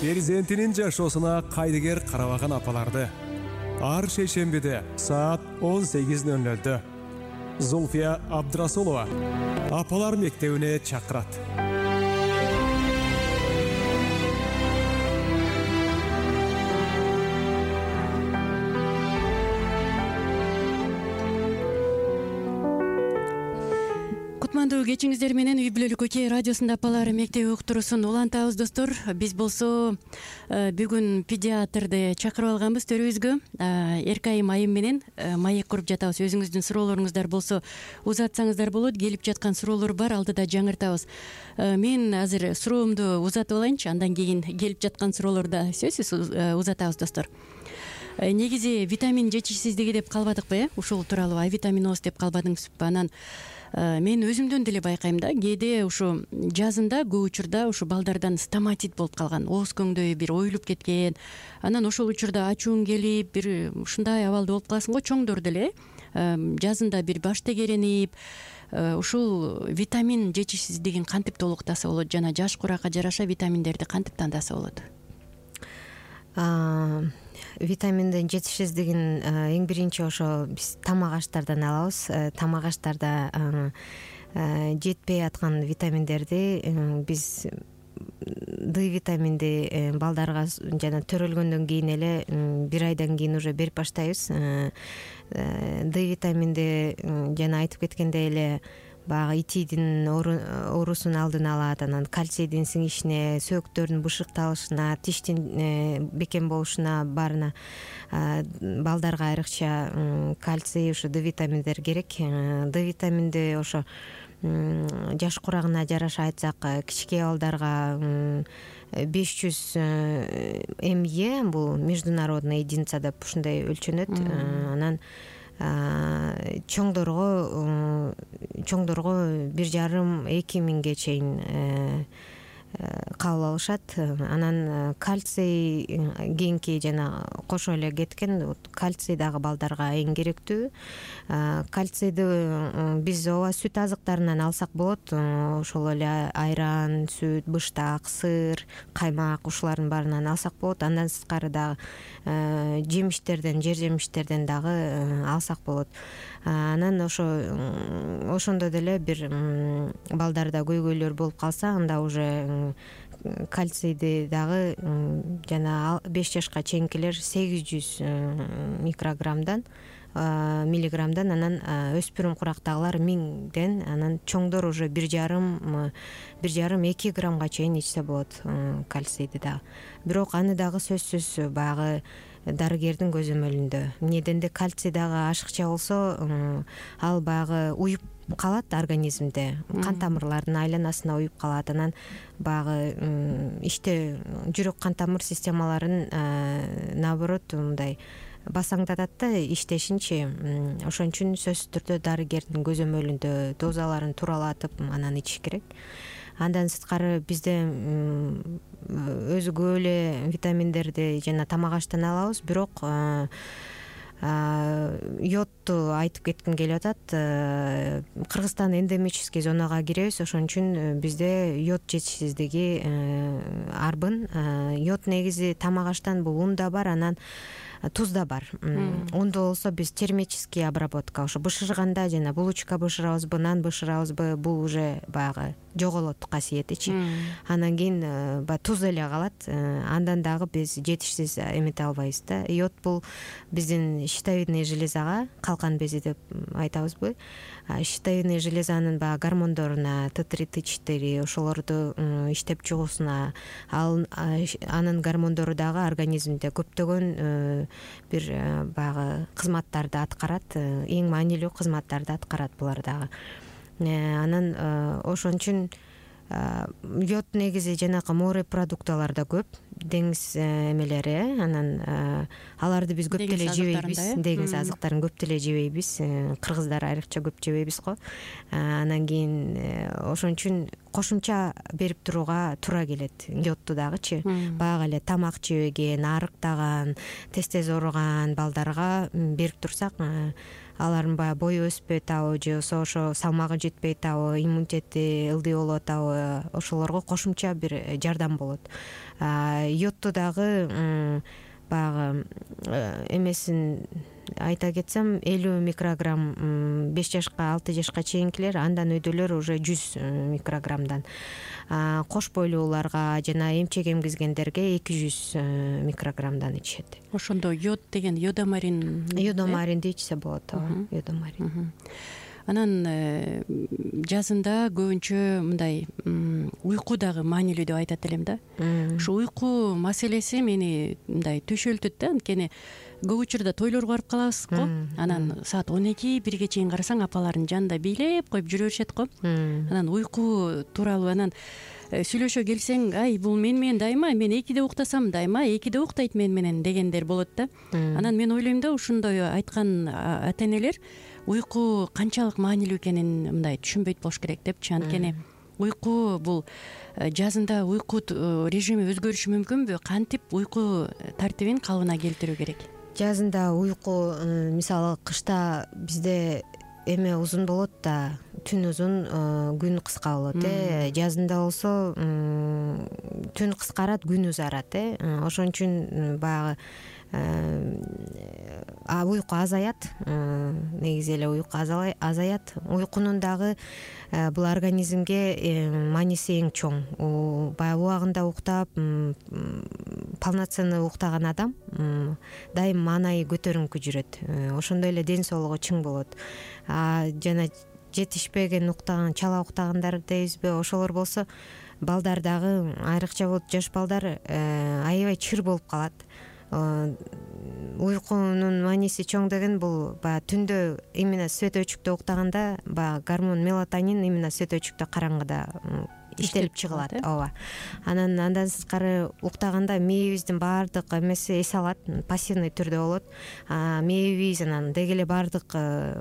Перзентинин жашоосуна кайдыгер карабаган апаларды ар шейшембиде саат он сегиз ноль нольдө Зулфия Абдрасулова апалар мектебине чакырат. Кутмандуу кечиңиздер менен Үй бүлөлүк Окей радиосунда апалар мектеби уктуруусун улантабыз достор. Биз болсо бүгүн педиатрды чакырып алганбыз төрүбүзгө. Эркайым айым менен маек куруп жатабыз. Өзүңүздүн суроолоруңуздар болсо узатсаңыздар болот. Келип жаткан суроолор бар, алдыда жаңыртабыз. Мен азыр суроомду узатып алайынчы, андан кийин келип жаткан суроолорду сөзсүз узатабыз достор. Негизи витамин жетишсиздиги деп калбадыкпы, э? Ушул тууралуу А витаминоз деп калбадыңызбы? Анан мен өзүмдөн деле байкайм да, кээде ушу жазында көп учурда ушу балдардан стоматит болуп калган, ооз көңдөй бир оюлуп кеткен. Анан ошол учурда ачууң келип, бир ушундай абалда болуп каласың го, чоңдор деле жазында бир баш тегеренип ушул витамин жетишсиздигин кантип толуктаса болот жана жаш куракка жараша витаминдерди кантип тандаса болот? Витаминдин жетишсиздигин эң биринчи ошо биз тамак аштардан алабыз. Тамак аштарда жетпей аткан витаминдерди биз Д витаминди балдарга жана төрөлгөндөн кийин эле бир айдан кийин уже берип баштайбыз. Д витаминди жана айтып кеткендей эле баягы итидин оорусунун алдын алат, анан кальцийдин сиңишине, сөөктөрдүн бышыкталышына, тиштин бекем болушуна баарына балдарга айрыкча кальций, ушу Д витаминдер керек. Д витаминди ошо жаш курагына жараша айтсак, кичинекей балдарга беш жүз эме, бул международный единица деп ушундай өлчөнөт. Анан чоңдорго чоңдорго бир жарым эки миңге чейин кабыл алышат. Анан кальций кийинки жана кошо эле кеткен, кальций дагы балдарга эң керектүү. Кальцийди биз ооба сүт азыктарынан алсак болот. Ошол эле айран, сүт, быштак, сыр, каймак ушулардын баарынан алсак болот. Андан сырткары дагы жемиштерден, жер жемиштерден дагы алсак болот. Анан ошо ошондо деле бир балдарда көйгөйлөр болуп калса, анда уже кальцийди дагы жана беш жашка чейинкилер сегиз жүз микрограммдан миллиграммдан, анан өспүрүм курактагылар миңден, анан чоңдор уже бир жарым бир жарым эки граммга чейин ичсе болот кальцийди дагы. Бирок аны дагы сөзсүз баягы дарыгердин көзөмөлүндө. Эмнеден кальций дагы ашыкча болсо, ал баягы уюп калат организмде, кан тамырлардын айланасына уюп калат. Анан баягы иште жүрөк кан тамыр системаларын наоборот мындай басаңдатат да иштешинчи. Ошон үчүн сөзсүз түрдө дарыгердин көзөмөлүндө дозаларын тууралатып анан ичиш керек. Андан сырткары бизде өзгө эле витаминдерди жана тамак аштан алабыз, бирок йодту айтып кетким келип атат. Кыргызстан эндемический зонага киребиз, ошон үчүн бизде йод жетишсиздиги арбын. Йод негизи тамак аштан бул унда бар, анан тузда бар. Унда болсо биз термический обработка, ошо бышырганда жана булочка бышырабызбы, нан бышырабызбы, бул уже баягы жоголот касиетичи. Анан кийин баягы туз эле калат. Андан дагы биз жетишсиз эмете албайбыз да. Йод бул биздин щитовидный железага, калкан бези деп айтабызбы. Щитовидный железанын баягы гормондоруна, Т три, Т четыре ошолорду иштеп чыгуусуна, ал анын гормондору дагы организмде көптөгөн бир баягы кызматтарды аткарат, эң маанилүү кызматтарды аткарат булар дагы. Анан ошон үчүн йод негизи жанакы морепродукталарда көп, деңиз эмелери, анан аларды биз көп деле жебейбиз, деңиз азыктарын көп деле жебейбиз, кыргыздар айрыкча көп жебейбиз го. Анан кийин ошон үчүн кошумча берип турууга туура келет йодту дагычы. Баягы эле тамак жебеген, арыктаган, тез тез ооруган балдарга берип турсак, алардын баягы бою өспөй атабы, же болбосо ошо салмагы жетпей атабы, иммунитети ылдый болуп атабы, ошолорго кошумча бир жардам болот. Йодту дагы баягы эмесин айта кетсем, элүү микрограмм беш жашка, алты жашка чейинкилер, андан өйдөлөр уже жүз микрограммдан. Кош бойлууларга жана эмчек эмгизгендерге эки жүз микрограммдан ичишет. Ошондо йод деген йодомарин, йодомаринди ичсе болот, йодомарин. Анан жазында көбүнчө мындай уйку дагы маанилүү деп айтат элем да. Ушу уйку маселеси мени мындай төшөлтөт да, анткени көп учурда тойлорго барып калабыз го. Анан саат он эки бирге чейин карасаң апалардын жанында бийлеп коюп жүрө беришет го. Анан уйку тууралуу анан сүйлөшө келсең, ай бул мен менен дайыма, мен экиде уктасам дайыма экиде уктайт мен менен дегендер болот да. Анан мен ойлойм да, ушундай айткан ата-энелер уйку канчалык маанилүү экенин мындай түшүнбөйт болуш керек депчи. Анткени уйку бул жазында уйку режими өзгөрүшү мүмкүнбү? Кантип уйку тартибин калыбына келтирүү керек? жазында уйку мисалы кышта бизде эме узун болот да, түн узун, күн кыска болот э жазында болсо түн кыскарат, күн узарат э ошон үчүн баягы уйку азаят, негизи эле уйку азаят. Уйкунун дагы бул организмге мааниси эң чоң. Баягы убагында уктап, полноценный уктаган адам дайым маанайы көтөрүңкү жүрөт, ошондой эле ден соолугу чың болот. А жана жетишпеген уктаган, чала уктагандар дейбизби, ошолор болсо балдар дагы, айрыкча болот жаш балдар, аябай чыр болуп калат. Уйкунун мааниси чоң деген бул баягы түндө именно светочүктө уктаганда баягы гормон мелатонин именно светочүктө караңгыда иштелип чыгылат. Ооба. Анан андан сырткары уктаганда мээбиздин баардык эмеси эс алат, пассивный түрдө болот. Мээбиз анан деги эле баардык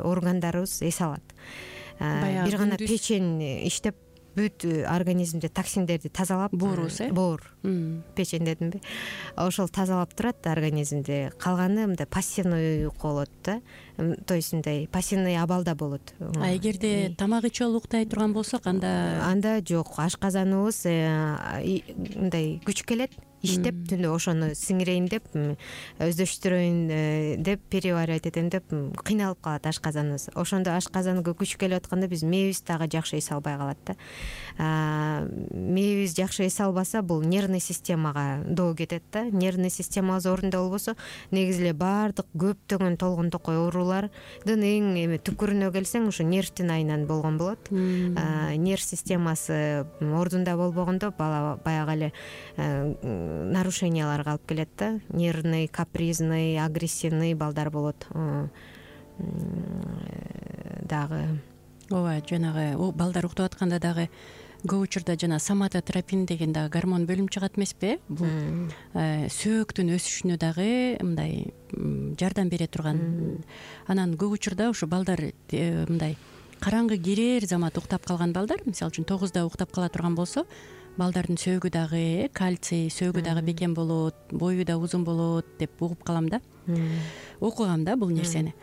органдарыбыз эс алат. Бир гана печень иштеп бүт организмде токсиндерди тазалап, боорубуз э боор печень дедимби, ошол тазалап турат организмди. Калганы мындай пассивный уйку болот да, то есть мындай пассивный абалда болот. А эгерде тамак ичип алып уктай турган болсок, анда анда жок, ашказаныбыз мындай күч келет, иштеп түндө ошону сиңирейин деп, өздөштүрөйүн деп, переваривать этем деп кыйналып калат ашказаныбыз. Ошондо ашказанга күч келип атканда биз мээбиз дагы жакшы эс албай калат да. Мээбиз жакшы эс албаса, бул нервный системага доо кетет да. Нервный системабыз орунда болбосо, негизи эле баардык көптөгөн толгон токой оорулардын эң эме түпкүрүнө келсең, ушу нервтин айынан болгон болот. Нерв системасы ордунда болбогондо бала баягы эле нарушенияларга алып келет да. Нервный, капризный, агрессивный балдар болот дагы. Ооба, жанагы балдар уктап атканда дагы көп учурда жана соматотропин деген дагы гормон бөлүнүп чыгат эмеспи? Бул сөөктүн өсүшүнө дагы мындай жардам бере турган. Анан көп учурда ушу балдар мындай караңгы кирер замат уктап калган балдар, мисалы үчүн тогузда уктап кала турган болсо, балдардын сөөгү дагы, кальций, сөөгү дагы бекем болот, бою да узун болот деп угуп калам да. Окугам да бул нерсени.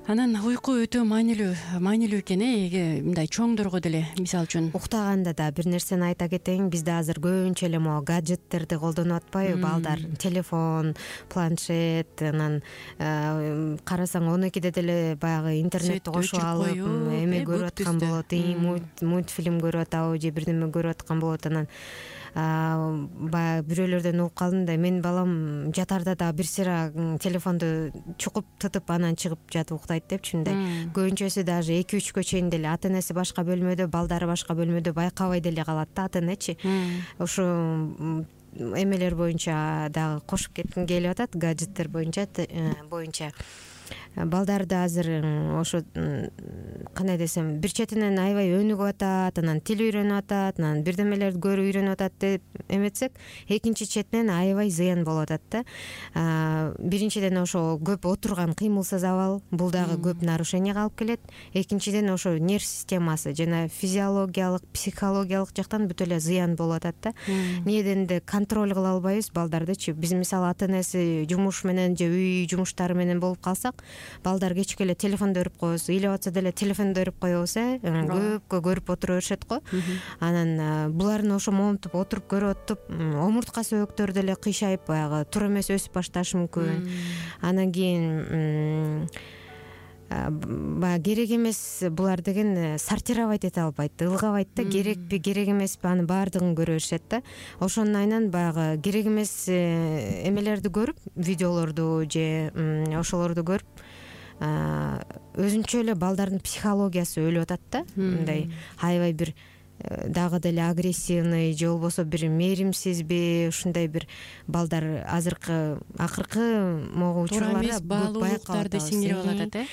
Анан уйку өтө маанилүү, маанилүү экен э, мындай чоңдорго деле, мисалы үчүн. Уктаганда да бир нерсени айта кетейин, бизде азыр көбүнчө эле могу гаджеттерди колдонуп атпайбы балдар? Телефон, планшет, анан карасаң он экиде деле баягы интернетти кошуп алып эме көрүп аткан болот, мультфильм көрүп атабы же бирдеме көрүп аткан болот. Анан баягы бирөөлөрдөн угуп калдым да, менин балам жатарда да бир сыйра телефонду чукуп тытып анан чыгып жатып уктайт депчи. Мындай көбүнчөсү даже эки үчкө чейин деле ата энеси башка бөлмөдө, балдары башка бөлмөдө байкабай деле калат да ата энечи. Ошо эмелер боюнча дагы кошуп кетким келип атат, гаджеттер боюнча боюнча балдарды азыр ошо кандай десем, бир четинен аябай өнүгүп атат, анан тил үйрөнүп атат, анан бирдемелерди көрүп үйрөнүп атат деп эметсек, экинчи четинен аябай зыян болуп атат да. Биринчиден ошо көп отурган кыймылсыз абал, бул дагы көп нарушенияга алып келет. Экинчиден ошо нерв системасы жана физиологиялык, психологиялык жактан бүт эле зыян болуп атат да. Эмнеден да контроль кыла албайбыз балдардычы. Биз мисалы ата энеси жумуш менен же үй жумуштары менен болуп калсак, балдар кечке эле телефонду көрүп коебуз, ыйлап атса деле телефонду көрүп коебуз, э көпкө көрүп отура беришет го. Анан булардын ошо момунтуп отуруп көрүп атып, омуртка сөөктөрү деле кыйшайып, баягы туура эмес өсүп башташы мүмкүн. Анан кийин баягы керек эмес булар деген сортировать эте албайт, ылгабайт да, керекпи, керек эмеспи, анын баардыгын көрө беришет да. Ошонун айынан баягы керек эмес эмелерди көрүп, видеолорду же ошолорду көрүп, өзүнчө эле балдардын психологиясы өлүп атат да. Мындай аябай бир дагы деле агрессивный же болбосо бир мээримсизби, ушундай бир балдар азыркы акыркы могу учурларда баалуулуктарды сиңирип алат э.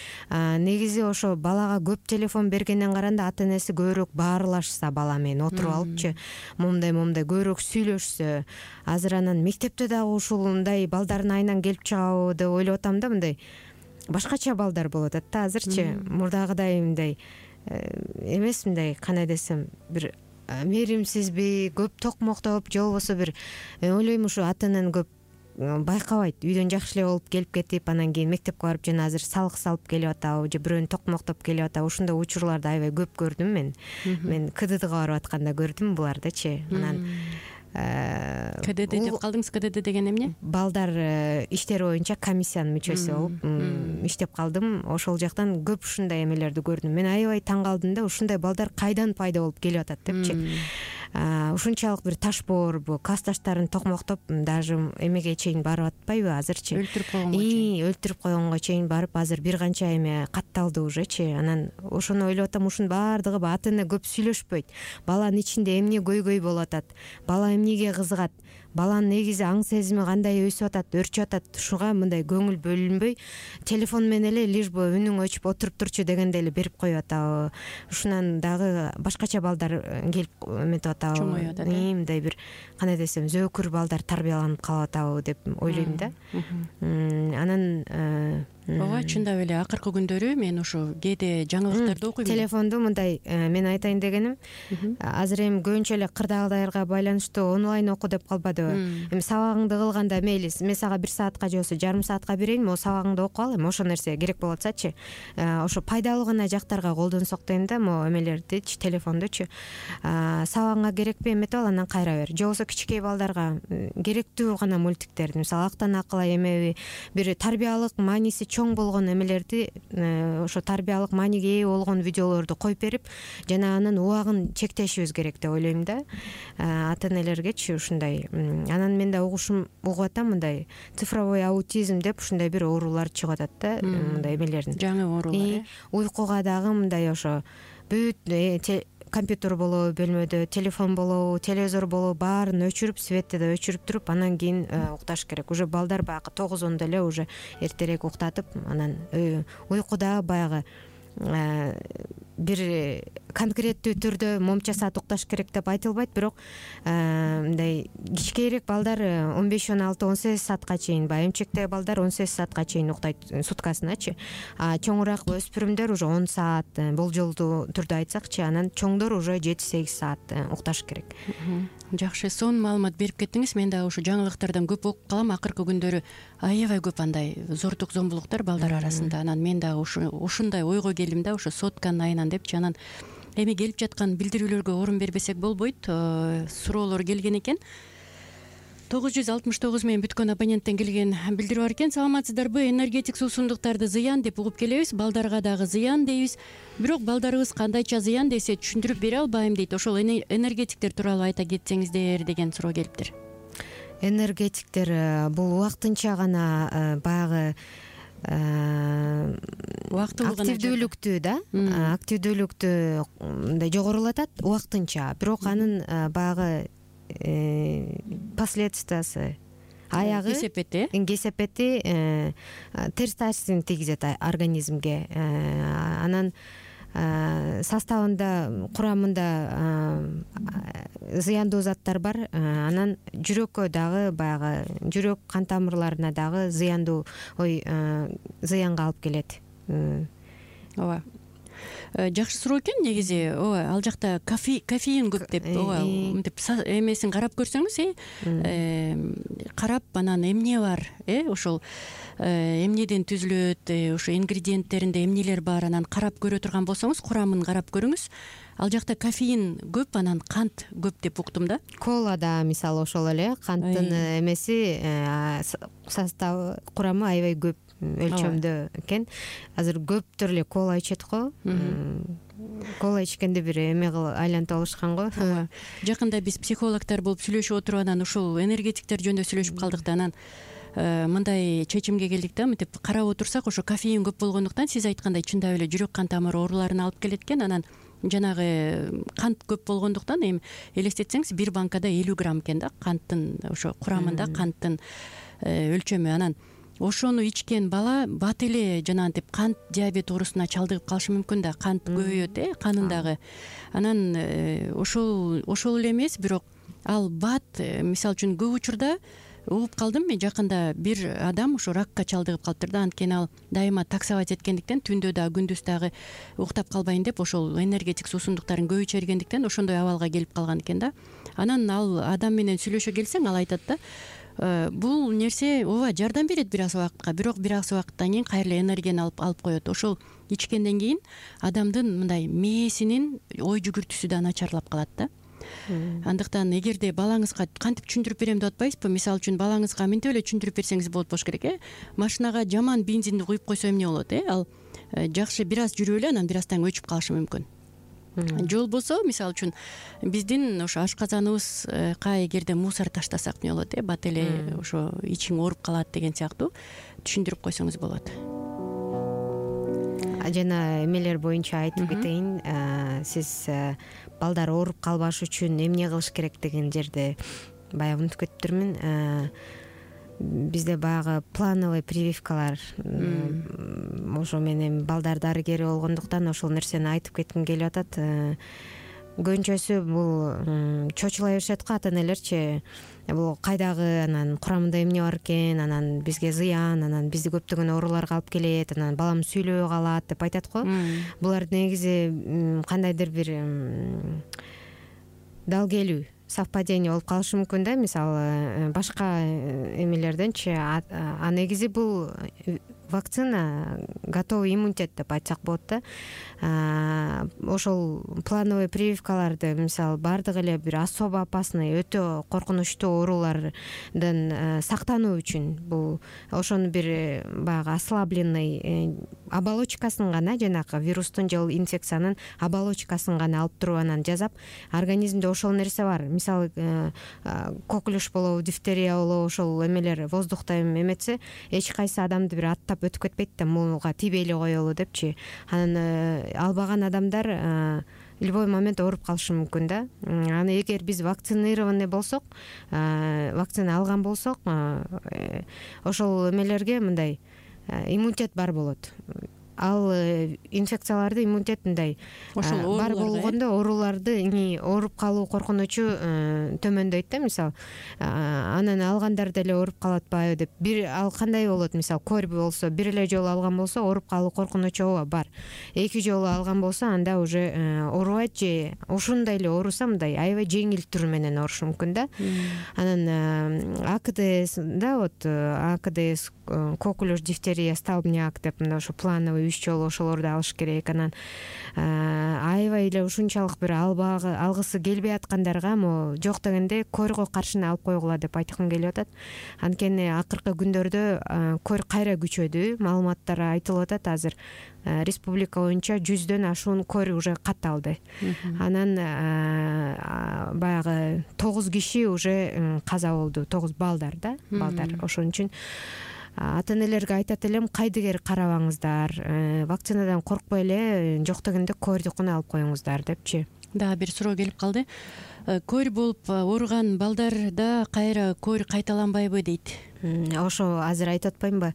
Негизи ошо балага көп телефон бергенден караганда ата энеси көбүрөөк баарлашса бала менен отуруп алыпчы, момундай момундай көбүрөөк сүйлөшсө, азыр анан мектепте дагы ушундай балдардын айынан келип чыгабы деп ойлоп атам да. Мындай башкача балдар болуп атат да азырчы, мурдагыдай мындай эмес, мындай кандай десем, бир мээримсизби, көп токмоктоп же болбосо бир ойлойм ушу ата эненин көп байкабайт, үйдөн жакшы эле болуп келип кетип, анан кийин мектепке барып жана азыр салык салып келип атабы же бирөөнү токмоктоп келип атабы, ушундай учурларды аябай көп көрдүм мен. Мен КДДга барып атканда көрдүм булардычы. Анан КДД деп калдыңыз. КДД деген эмне? Балдар иштери боюнча комиссиянын мүчөсү болуп иштеп калдым. Ошол жактан көп ушундай эмелерди көрдүм. Мен аябай таң калдым да, ушундай балдар кайдан пайда болуп келип атат депчи. Ушунчалык бир ташбоорбу, классташтарын токмоктоп даже эмеге чейин барып атпайбы азырчы? Өлтүрүп койгонго чейин. Өлтүрүп койгонго чейин барып, азыр бир канча эме катталды уже,чы. Анан ошону ойлоп атам, ушунун баардыгы ата эне көп сүйлөшпөйт. Баланын ичинде эмне көйгөй болуп атат? Бала эмнеге кызыгат? Баланын негизи аң сезими кандай өсүп атат, өрчүп атат? Ушуга мындай көңүл бөлүнбөй, телефон менен эле лишь бы үнүң өчүп отуруп турчу дегенде эле берип коюп атабы. Ушунан дагы башкача балдар келип эметип атабы. Чоңоюп атат. Мындай бир кандай десем, зөөкүр балдар тарбияланып калып атабы деп ойлойм да. Анан ооба, чындап эле акыркы күндөрү мен ушу кээде жаңылыктарды окуйм. Телефонду мындай мен айтайын дегеним, азыр эми көбүнчө эле кырдаалдарга байланыштуу онлайн оку деп калбадыбы? Эми сабагыңды кылганда мейли мен сага бир саатка же болбосо жарым саатка берейин, могу сабагыңды окуп ал, эми ошо нерсе керек болуп атсачы. Ошо пайдалуу гана жактарга колдонсок дейм да, могу эмелердичи, телефондучу. Сабагыңа керекпи, эметип ал, анан кайра бер. Же болбосо кичинекей балдарга керектүү гана мультиктерди, мисалы Актан акылай эмеби, бир тарбиялык мааниси чоң болгон эмелерди, ошо тарбиялык мааниге ээ болгон видеолорду коюп берип, жана анын убагын чектешибиз керек деп ойлойм да, ата энелергечи ушундай. Анан мен да угушум угуп атам, мындай цифровой аутизм деп ушундай бир оорулар чыгып атат да, мындай эмелердин. Жаңы оорулар. Уйкуга дагы мындай ошо бүт компьютер болобу бөлмөдө, телефон болобу, телевизор болобу, баарын өчүрүп, светти да өчүрүп туруп, анан кийин укташ керек. Уже балдар баягы тогуз ондо эле уже эртерээк уктатып, анан уйкуда баягы бир конкреттүү түрдө момча саат укташ керек деп айтылбайт, бирок мындай кичкейирээк балдар он беш он алты он сегиз саатка чейин, баягы эмчектеги балдар он сегиз саатка чейин уктайт суткасыначы. А чоңураак өспүрүмдөр уже он саат болжолдуу түрдө айтсакчы, анан чоңдор уже жети сегиз саат укташ керек. Жакшы, сонун маалымат берип кеттиңиз. Мен дагы ушу жаңылыктардан көп окуп калам. Акыркы күндөрү аябай көп андай зордук зомбулуктар балдар арасында. Анан мен дагы ушундай ойго келдим да, ошо сотканын айынан депчи. Анан эми келип жаткан билдирүүлөргө орун бербесек болбойт. Суроолор келген экен. тогуз жүз алтымыш тогуз менен бүткөн абоненттен келген билдирүү бар экен. Саламатсыздарбы? Энергетик суусундуктарды зыян деп угуп келебиз. Балдарга дагы зыян дейбиз. Бирок балдарыбыз кандайча зыян десе түшүндүрүп бере албайм дейт. Ошол энергетиктер тууралуу айта кетсеңиздер деген суроо келиптир. Энергетиктер бул убактынча гана баягы активдүүлүктү да, активдүүлүктү мындай жогорулатат убактынча. Бирок анын баягы последствиясы, аягы кесепети кесепети терс таасирин тийгизет организмге. Анан составында, курамында зыяндуу заттар бар. Анан жүрөккө дагы баягы жүрөк кан тамырларына дагы зыяндуу ой зыянга алып келет. Ооба. Жакшы суроо экен негизи. Ооба, ал жакта кофеин көп деп, ооба, мынтип эмесин карап көрсөңүз, э, карап анан эмне бар, э, ошол эмнеден түзүлөт, ошо ингредиенттеринде эмнелер бар, анан карап көрө турган болсоңуз, курамын карап көрүңүз. Ал жакта кофеин көп, анан кант көп деп уктум да. Колада мисалы ошол эле канттын эмеси, составы, курамы аябай көп өлчөмдө экен. Азыр көптөр эле кола ичет го. Кола ичкенде бир эме кылып айлантып алышкан го. Жакында биз психологдор болуп сүйлөшүп отуруп анан ушул энергетиктер жөнүндө сүйлөшүп калдык да, анан мындай чечимге келдик да, мынтип карап отурсак, ошо кофеин көп болгондуктан сиз айткандай чындап эле жүрөк кан тамыр ооруларына алып келет экен. Анан жанагы кант көп болгондуктан эми элестетсеңиз, бир банкада элүү грамм экен да, канттын ошо курамында канттын өлчөмү. Анан ошону ичкен бала бат эле жанагынтип кант диабет оорусуна чалдыгып калышы мүмкүн да, кант көбөйөт э канындагы. Анан ошол ошол эле эмес, бирок ал бат, мисалы үчүн көп учурда угуп калдым мен, жакында бир адам ошо ракка чалдыгып калыптыр да, анткени ал дайыма таксовать эткендиктен, түндө да күндүз дагы уктап калбайын деп ошол энергетик суусундуктарын көп иче бергендиктен ошондой абалга келип калган экен да. Анан ал адам менен сүйлөшө келсең, ал айтат да, бул нерсе ооба жардам берет бир аз убакытка, бирок бир аз убакыттан кийин кайра эле энергияны алып алып коет. Ошол ичкенден кийин адамдын мындай мээсинин ой жүгүртүүсү да начарлап калат да. Андыктан эгерде балаңызга кантип түшүндүрүп берем деп атпайсызбы, мисалы үчүн балаңызга мынтип эле түшүндүрүп берсеңиз болот болуш керек э машинага жаман бензинди куюп койсо эмне болот э ал жакшы бир аз жүрүп эле анан бир аздан өчүп калышы мүмкүн. Же болбосо мисалы үчүн биздин ошо ашказаныбызга эгерде мусор таштасак эмне болот э бат эле ошо ичиң ооруп калат деген сыяктуу түшүндүрүп койсоңуз болот. Жана эмелер боюнча айтып кетейин, сиз балдар ооруп калбаш үчүн эмне кылыш керек деген жерде баягы унутуп кетиптирмин. Бизде баягы плановый прививкалар ошо менен балдар дарыгери болгондуктан ошол нерсени айтып кетким келип атат. Көбүнчөсү бул чочулай беришет го ата энелерчи. Бул кайдагы, анан курамында эмне бар экен, анан бизге зыян, анан бизди көптөгөн ооруларга алып келет, анан балам сүйлөбөй калат деп айтат го. Булар негизи кандайдыр бир дал келүү совпадение болуп калышы мүмкүн да. Мисалы башка эмелерденчи а негизи бул вакцина готовый иммунитет деп айтсак болот да. Ошол плановый прививкаларды мисалы баардык эле бир особо опасный, өтө коркунучтуу оорулардан сактануу үчүн бул ошону бир баягы ослабленный оболочкасын гана, жанагы вирустун же инфекциянын оболочкасын гана алып туруп анан жасап, организмде ошол нерсе бар. Мисалы коклюш болобу, дифтерия болобу, ошол эмелер воздухта эметсе эч кайсы адамды бир аттап өтүп кетпейт да, муга тийбей эле коелу депчи. Анан албаган адамдар любой момент ооруп калышы мүмкүн да. Аны эгер биз вакцинированный болсок, вакцина алган болсок, ошол эмелерге мындай иммунитет бар болот. Ал инфекцияларды иммунитет мындай бар болгондо ооруларды ооруп калуу коркунучу төмөндөйт да. Мисалы анан алгандар деле ооруп калат атпайбы деп. Бир ал кандай болот? Мисалы кори болсо, бир эле жолу алган болсо ооруп калуу коркунучу ооба бар. Эки жолу алган болсо анда уже оорубайт же ушундай эле ооруса мындай аябай жеңил түрү менен оорушу мүмкүн да. Анан АКДС да, вот АКДС коклюш, дифтерия, столбняк деп мына ошо плановый үч жолу ошолорду алыш керек. Анан аябай эле ушунчалык бир албагы алгысы келбей аткандарга могу жок дегенде корго каршыны алып койгула деп айткым келип атат. Анткени акыркы күндөрдө кор кайра күчөдү, маалыматтар айтылып атат. Азыр республика боюнча жүздөн ашуун кор уже катталды. Анан баягы тогуз киши уже каза болду, тогуз балдар да, балдар. Ошон үчүн ата энелерге айтат элем, кайдыгер карабаңыздар, вакцинадан коркпой эле жок дегенде кордукуна алып коюңуздар депчи. Да, бир суроо келип калды. Кор болуп ооруган балдарда кайра кор кайталанбайбы дейт. Ошо азыр айтып атпаймынбы?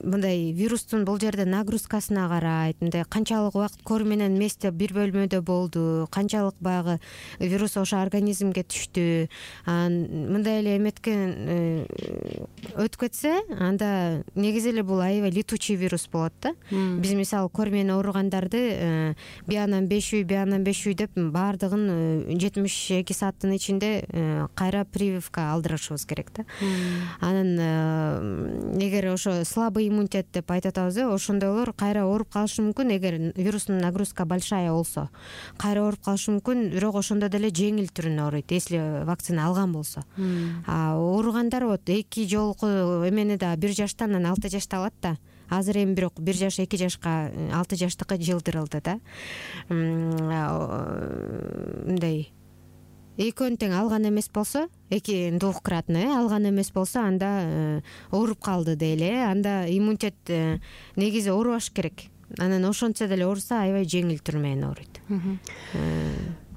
Мындай вирустун бул жерде нагрузкасына карайт, мындай канчалык убакыт кор менен эместе бир бөлмөдө болду, канчалык баягы вирус ошо организмге түштү. Мындай эле эметкен өтүп кетсе, анда негизи эле бул аябай летучий вирус болот да. Биз мисалы кор менен ооругандарды биянан беш үй, биянан беш үй деп баардыгын жетимиш эки сааттын ичинде кайра прививка алдырышыбыз керек да. Анан эгер ошо слабый иммунитет деп айтып атабыз, ошондойлор кайра ооруп калышы мүмкүн. Эгер вирустун нагрузка большая болсо кайра ооруп калышы мүмкүн, бирок ошондо деле жеңил түрүнө ооруйт, если вакцина алган болсо. А ооругандар вот эки жолку эмени да бир жаштан анан алты жашта алат да. Азыр эми бирок бир жаш эки жашка алты жаштыкы жылдырылды да. Мындай экөөнү тең алган эмес болсо, эки двухкратно алган эмес болсо, анда ооруп калды дейле, анда иммунитет негизи оорубаш керек. Анан ошончо деле ооруса аябай жеңил түр менен ооруйт.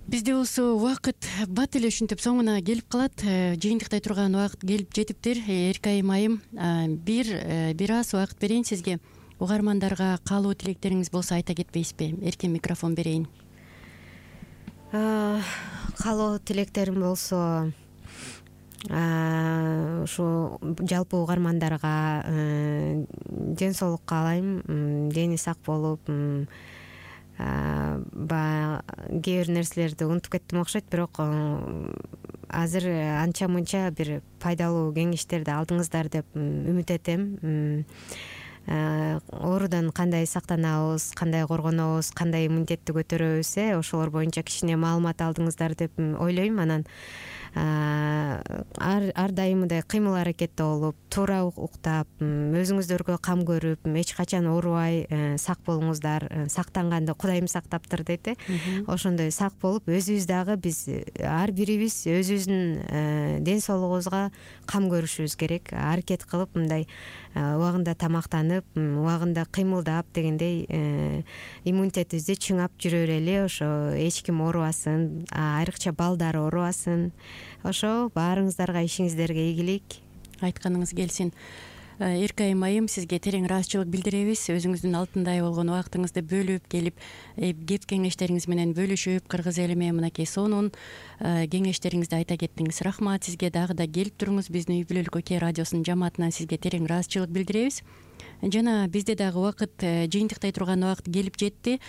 Бизде болсо убакыт бат эле ушинтип соңуна келип калат. Жыйынтыктай турган убакыт келип жетиптир. Эркайым айым, бир бир аз убакыт берейин сизге. Угармандарга каалоо тилектериңиз болсо айта кетпейсизби? Эркен микрофон берейин. Каалоо тилектерим болсо ушу жалпы угармандарга ден соолук каалайм, дени сак болуп, баягы кээ бир нерселерди унутуп кеттим окшойт, бирок азыр анча мынча бир пайдалуу кеңештерди алдыңыздар деп үмүт этем. Оорудан кандай сактанабыз, кандай коргонобуз, кандай иммунитетти көтөрөбүз, э ошолор боюнча кичине маалымат алдыңыздар деп ойлойм. Анан ар дайым мындай кыймыл аракетте болуп, туура уктап, өзүңүздөргө кам көрүп, эч качан оорубай сак болуңуздар. Сактанганды Кудайым сактаптыр дейт, э ошондой сак болуп, өзүбүз дагы биз ар бирибиз өзүбүздүн ден соолугубузга кам көрүшүбүз керек. Аракет кылып мындай убагында тамактанып, убагында кыймылдап дегендей иммунитетибизди чыңап жүрө берели. Ошо эч ким оорубасын, айрыкча балдар оорубасын. Ошо баарыңыздарга ишиңиздерге ийгилик. Айтканыңыз келсин. Эркайым айым, сизге терең ыраазычылык билдиребиз. Өзүңүздүн алтындай болгон убактыңызды бөлүп келип, кеп кеңештериңиз менен бөлүшүп, кыргыз элиме мынакей сонун кеңештериңизди айта кеттиңиз. Рахмат сизге. Дагы да келип туруңуз. Биздин Үй бүлөлүк Окей радиосунун жамаатынан сизге терең ыраазычылык билдиребиз. Жана бизде дагы убакыт, жыйынтыктай турган убакыт келип жетти.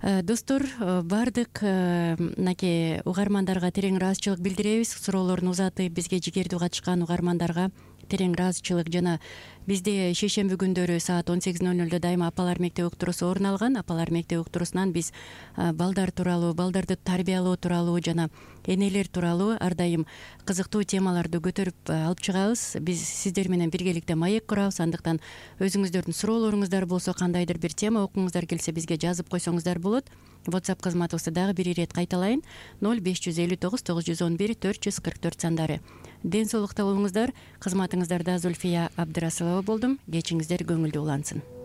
Достор, баардык мынакей угармандарга терең ыраазычылык билдиребиз. Суроолорун узатып бизге жигердүү катышкан угармандарга терең ыраазычылык. Жана бизде шейшемби күндөрү саат он сегиз ноль нолдо дайыма апалар мектеби уктуруусу орун алган. Апалар мектеби уктуруусунан биз балдар тууралуу, балдарды тарбиялоо тууралуу жана энелер тууралуу ар дайым кызыктуу темаларды көтөрүп алып чыгабыз. Биз сиздер менен биргеликте маек курабыз. Андыктан өзүңүздөрдүн суроолоруңуздар болсо, кандайдыр бир тема окуңуздар келсе, бизге жазып койсоңуздар болот. WhatsApp кызматыбызды дагы бир ирет кайталайын. ноль беш жүз элүү тогуз тогуз жүз он бир төрт жүз кырк төрт сандары. Ден соолукта болуңуздар. Кызматыңыздарда Зульфия Абдрасылова болдум. Кечиңиздер көңүлдүү улансын.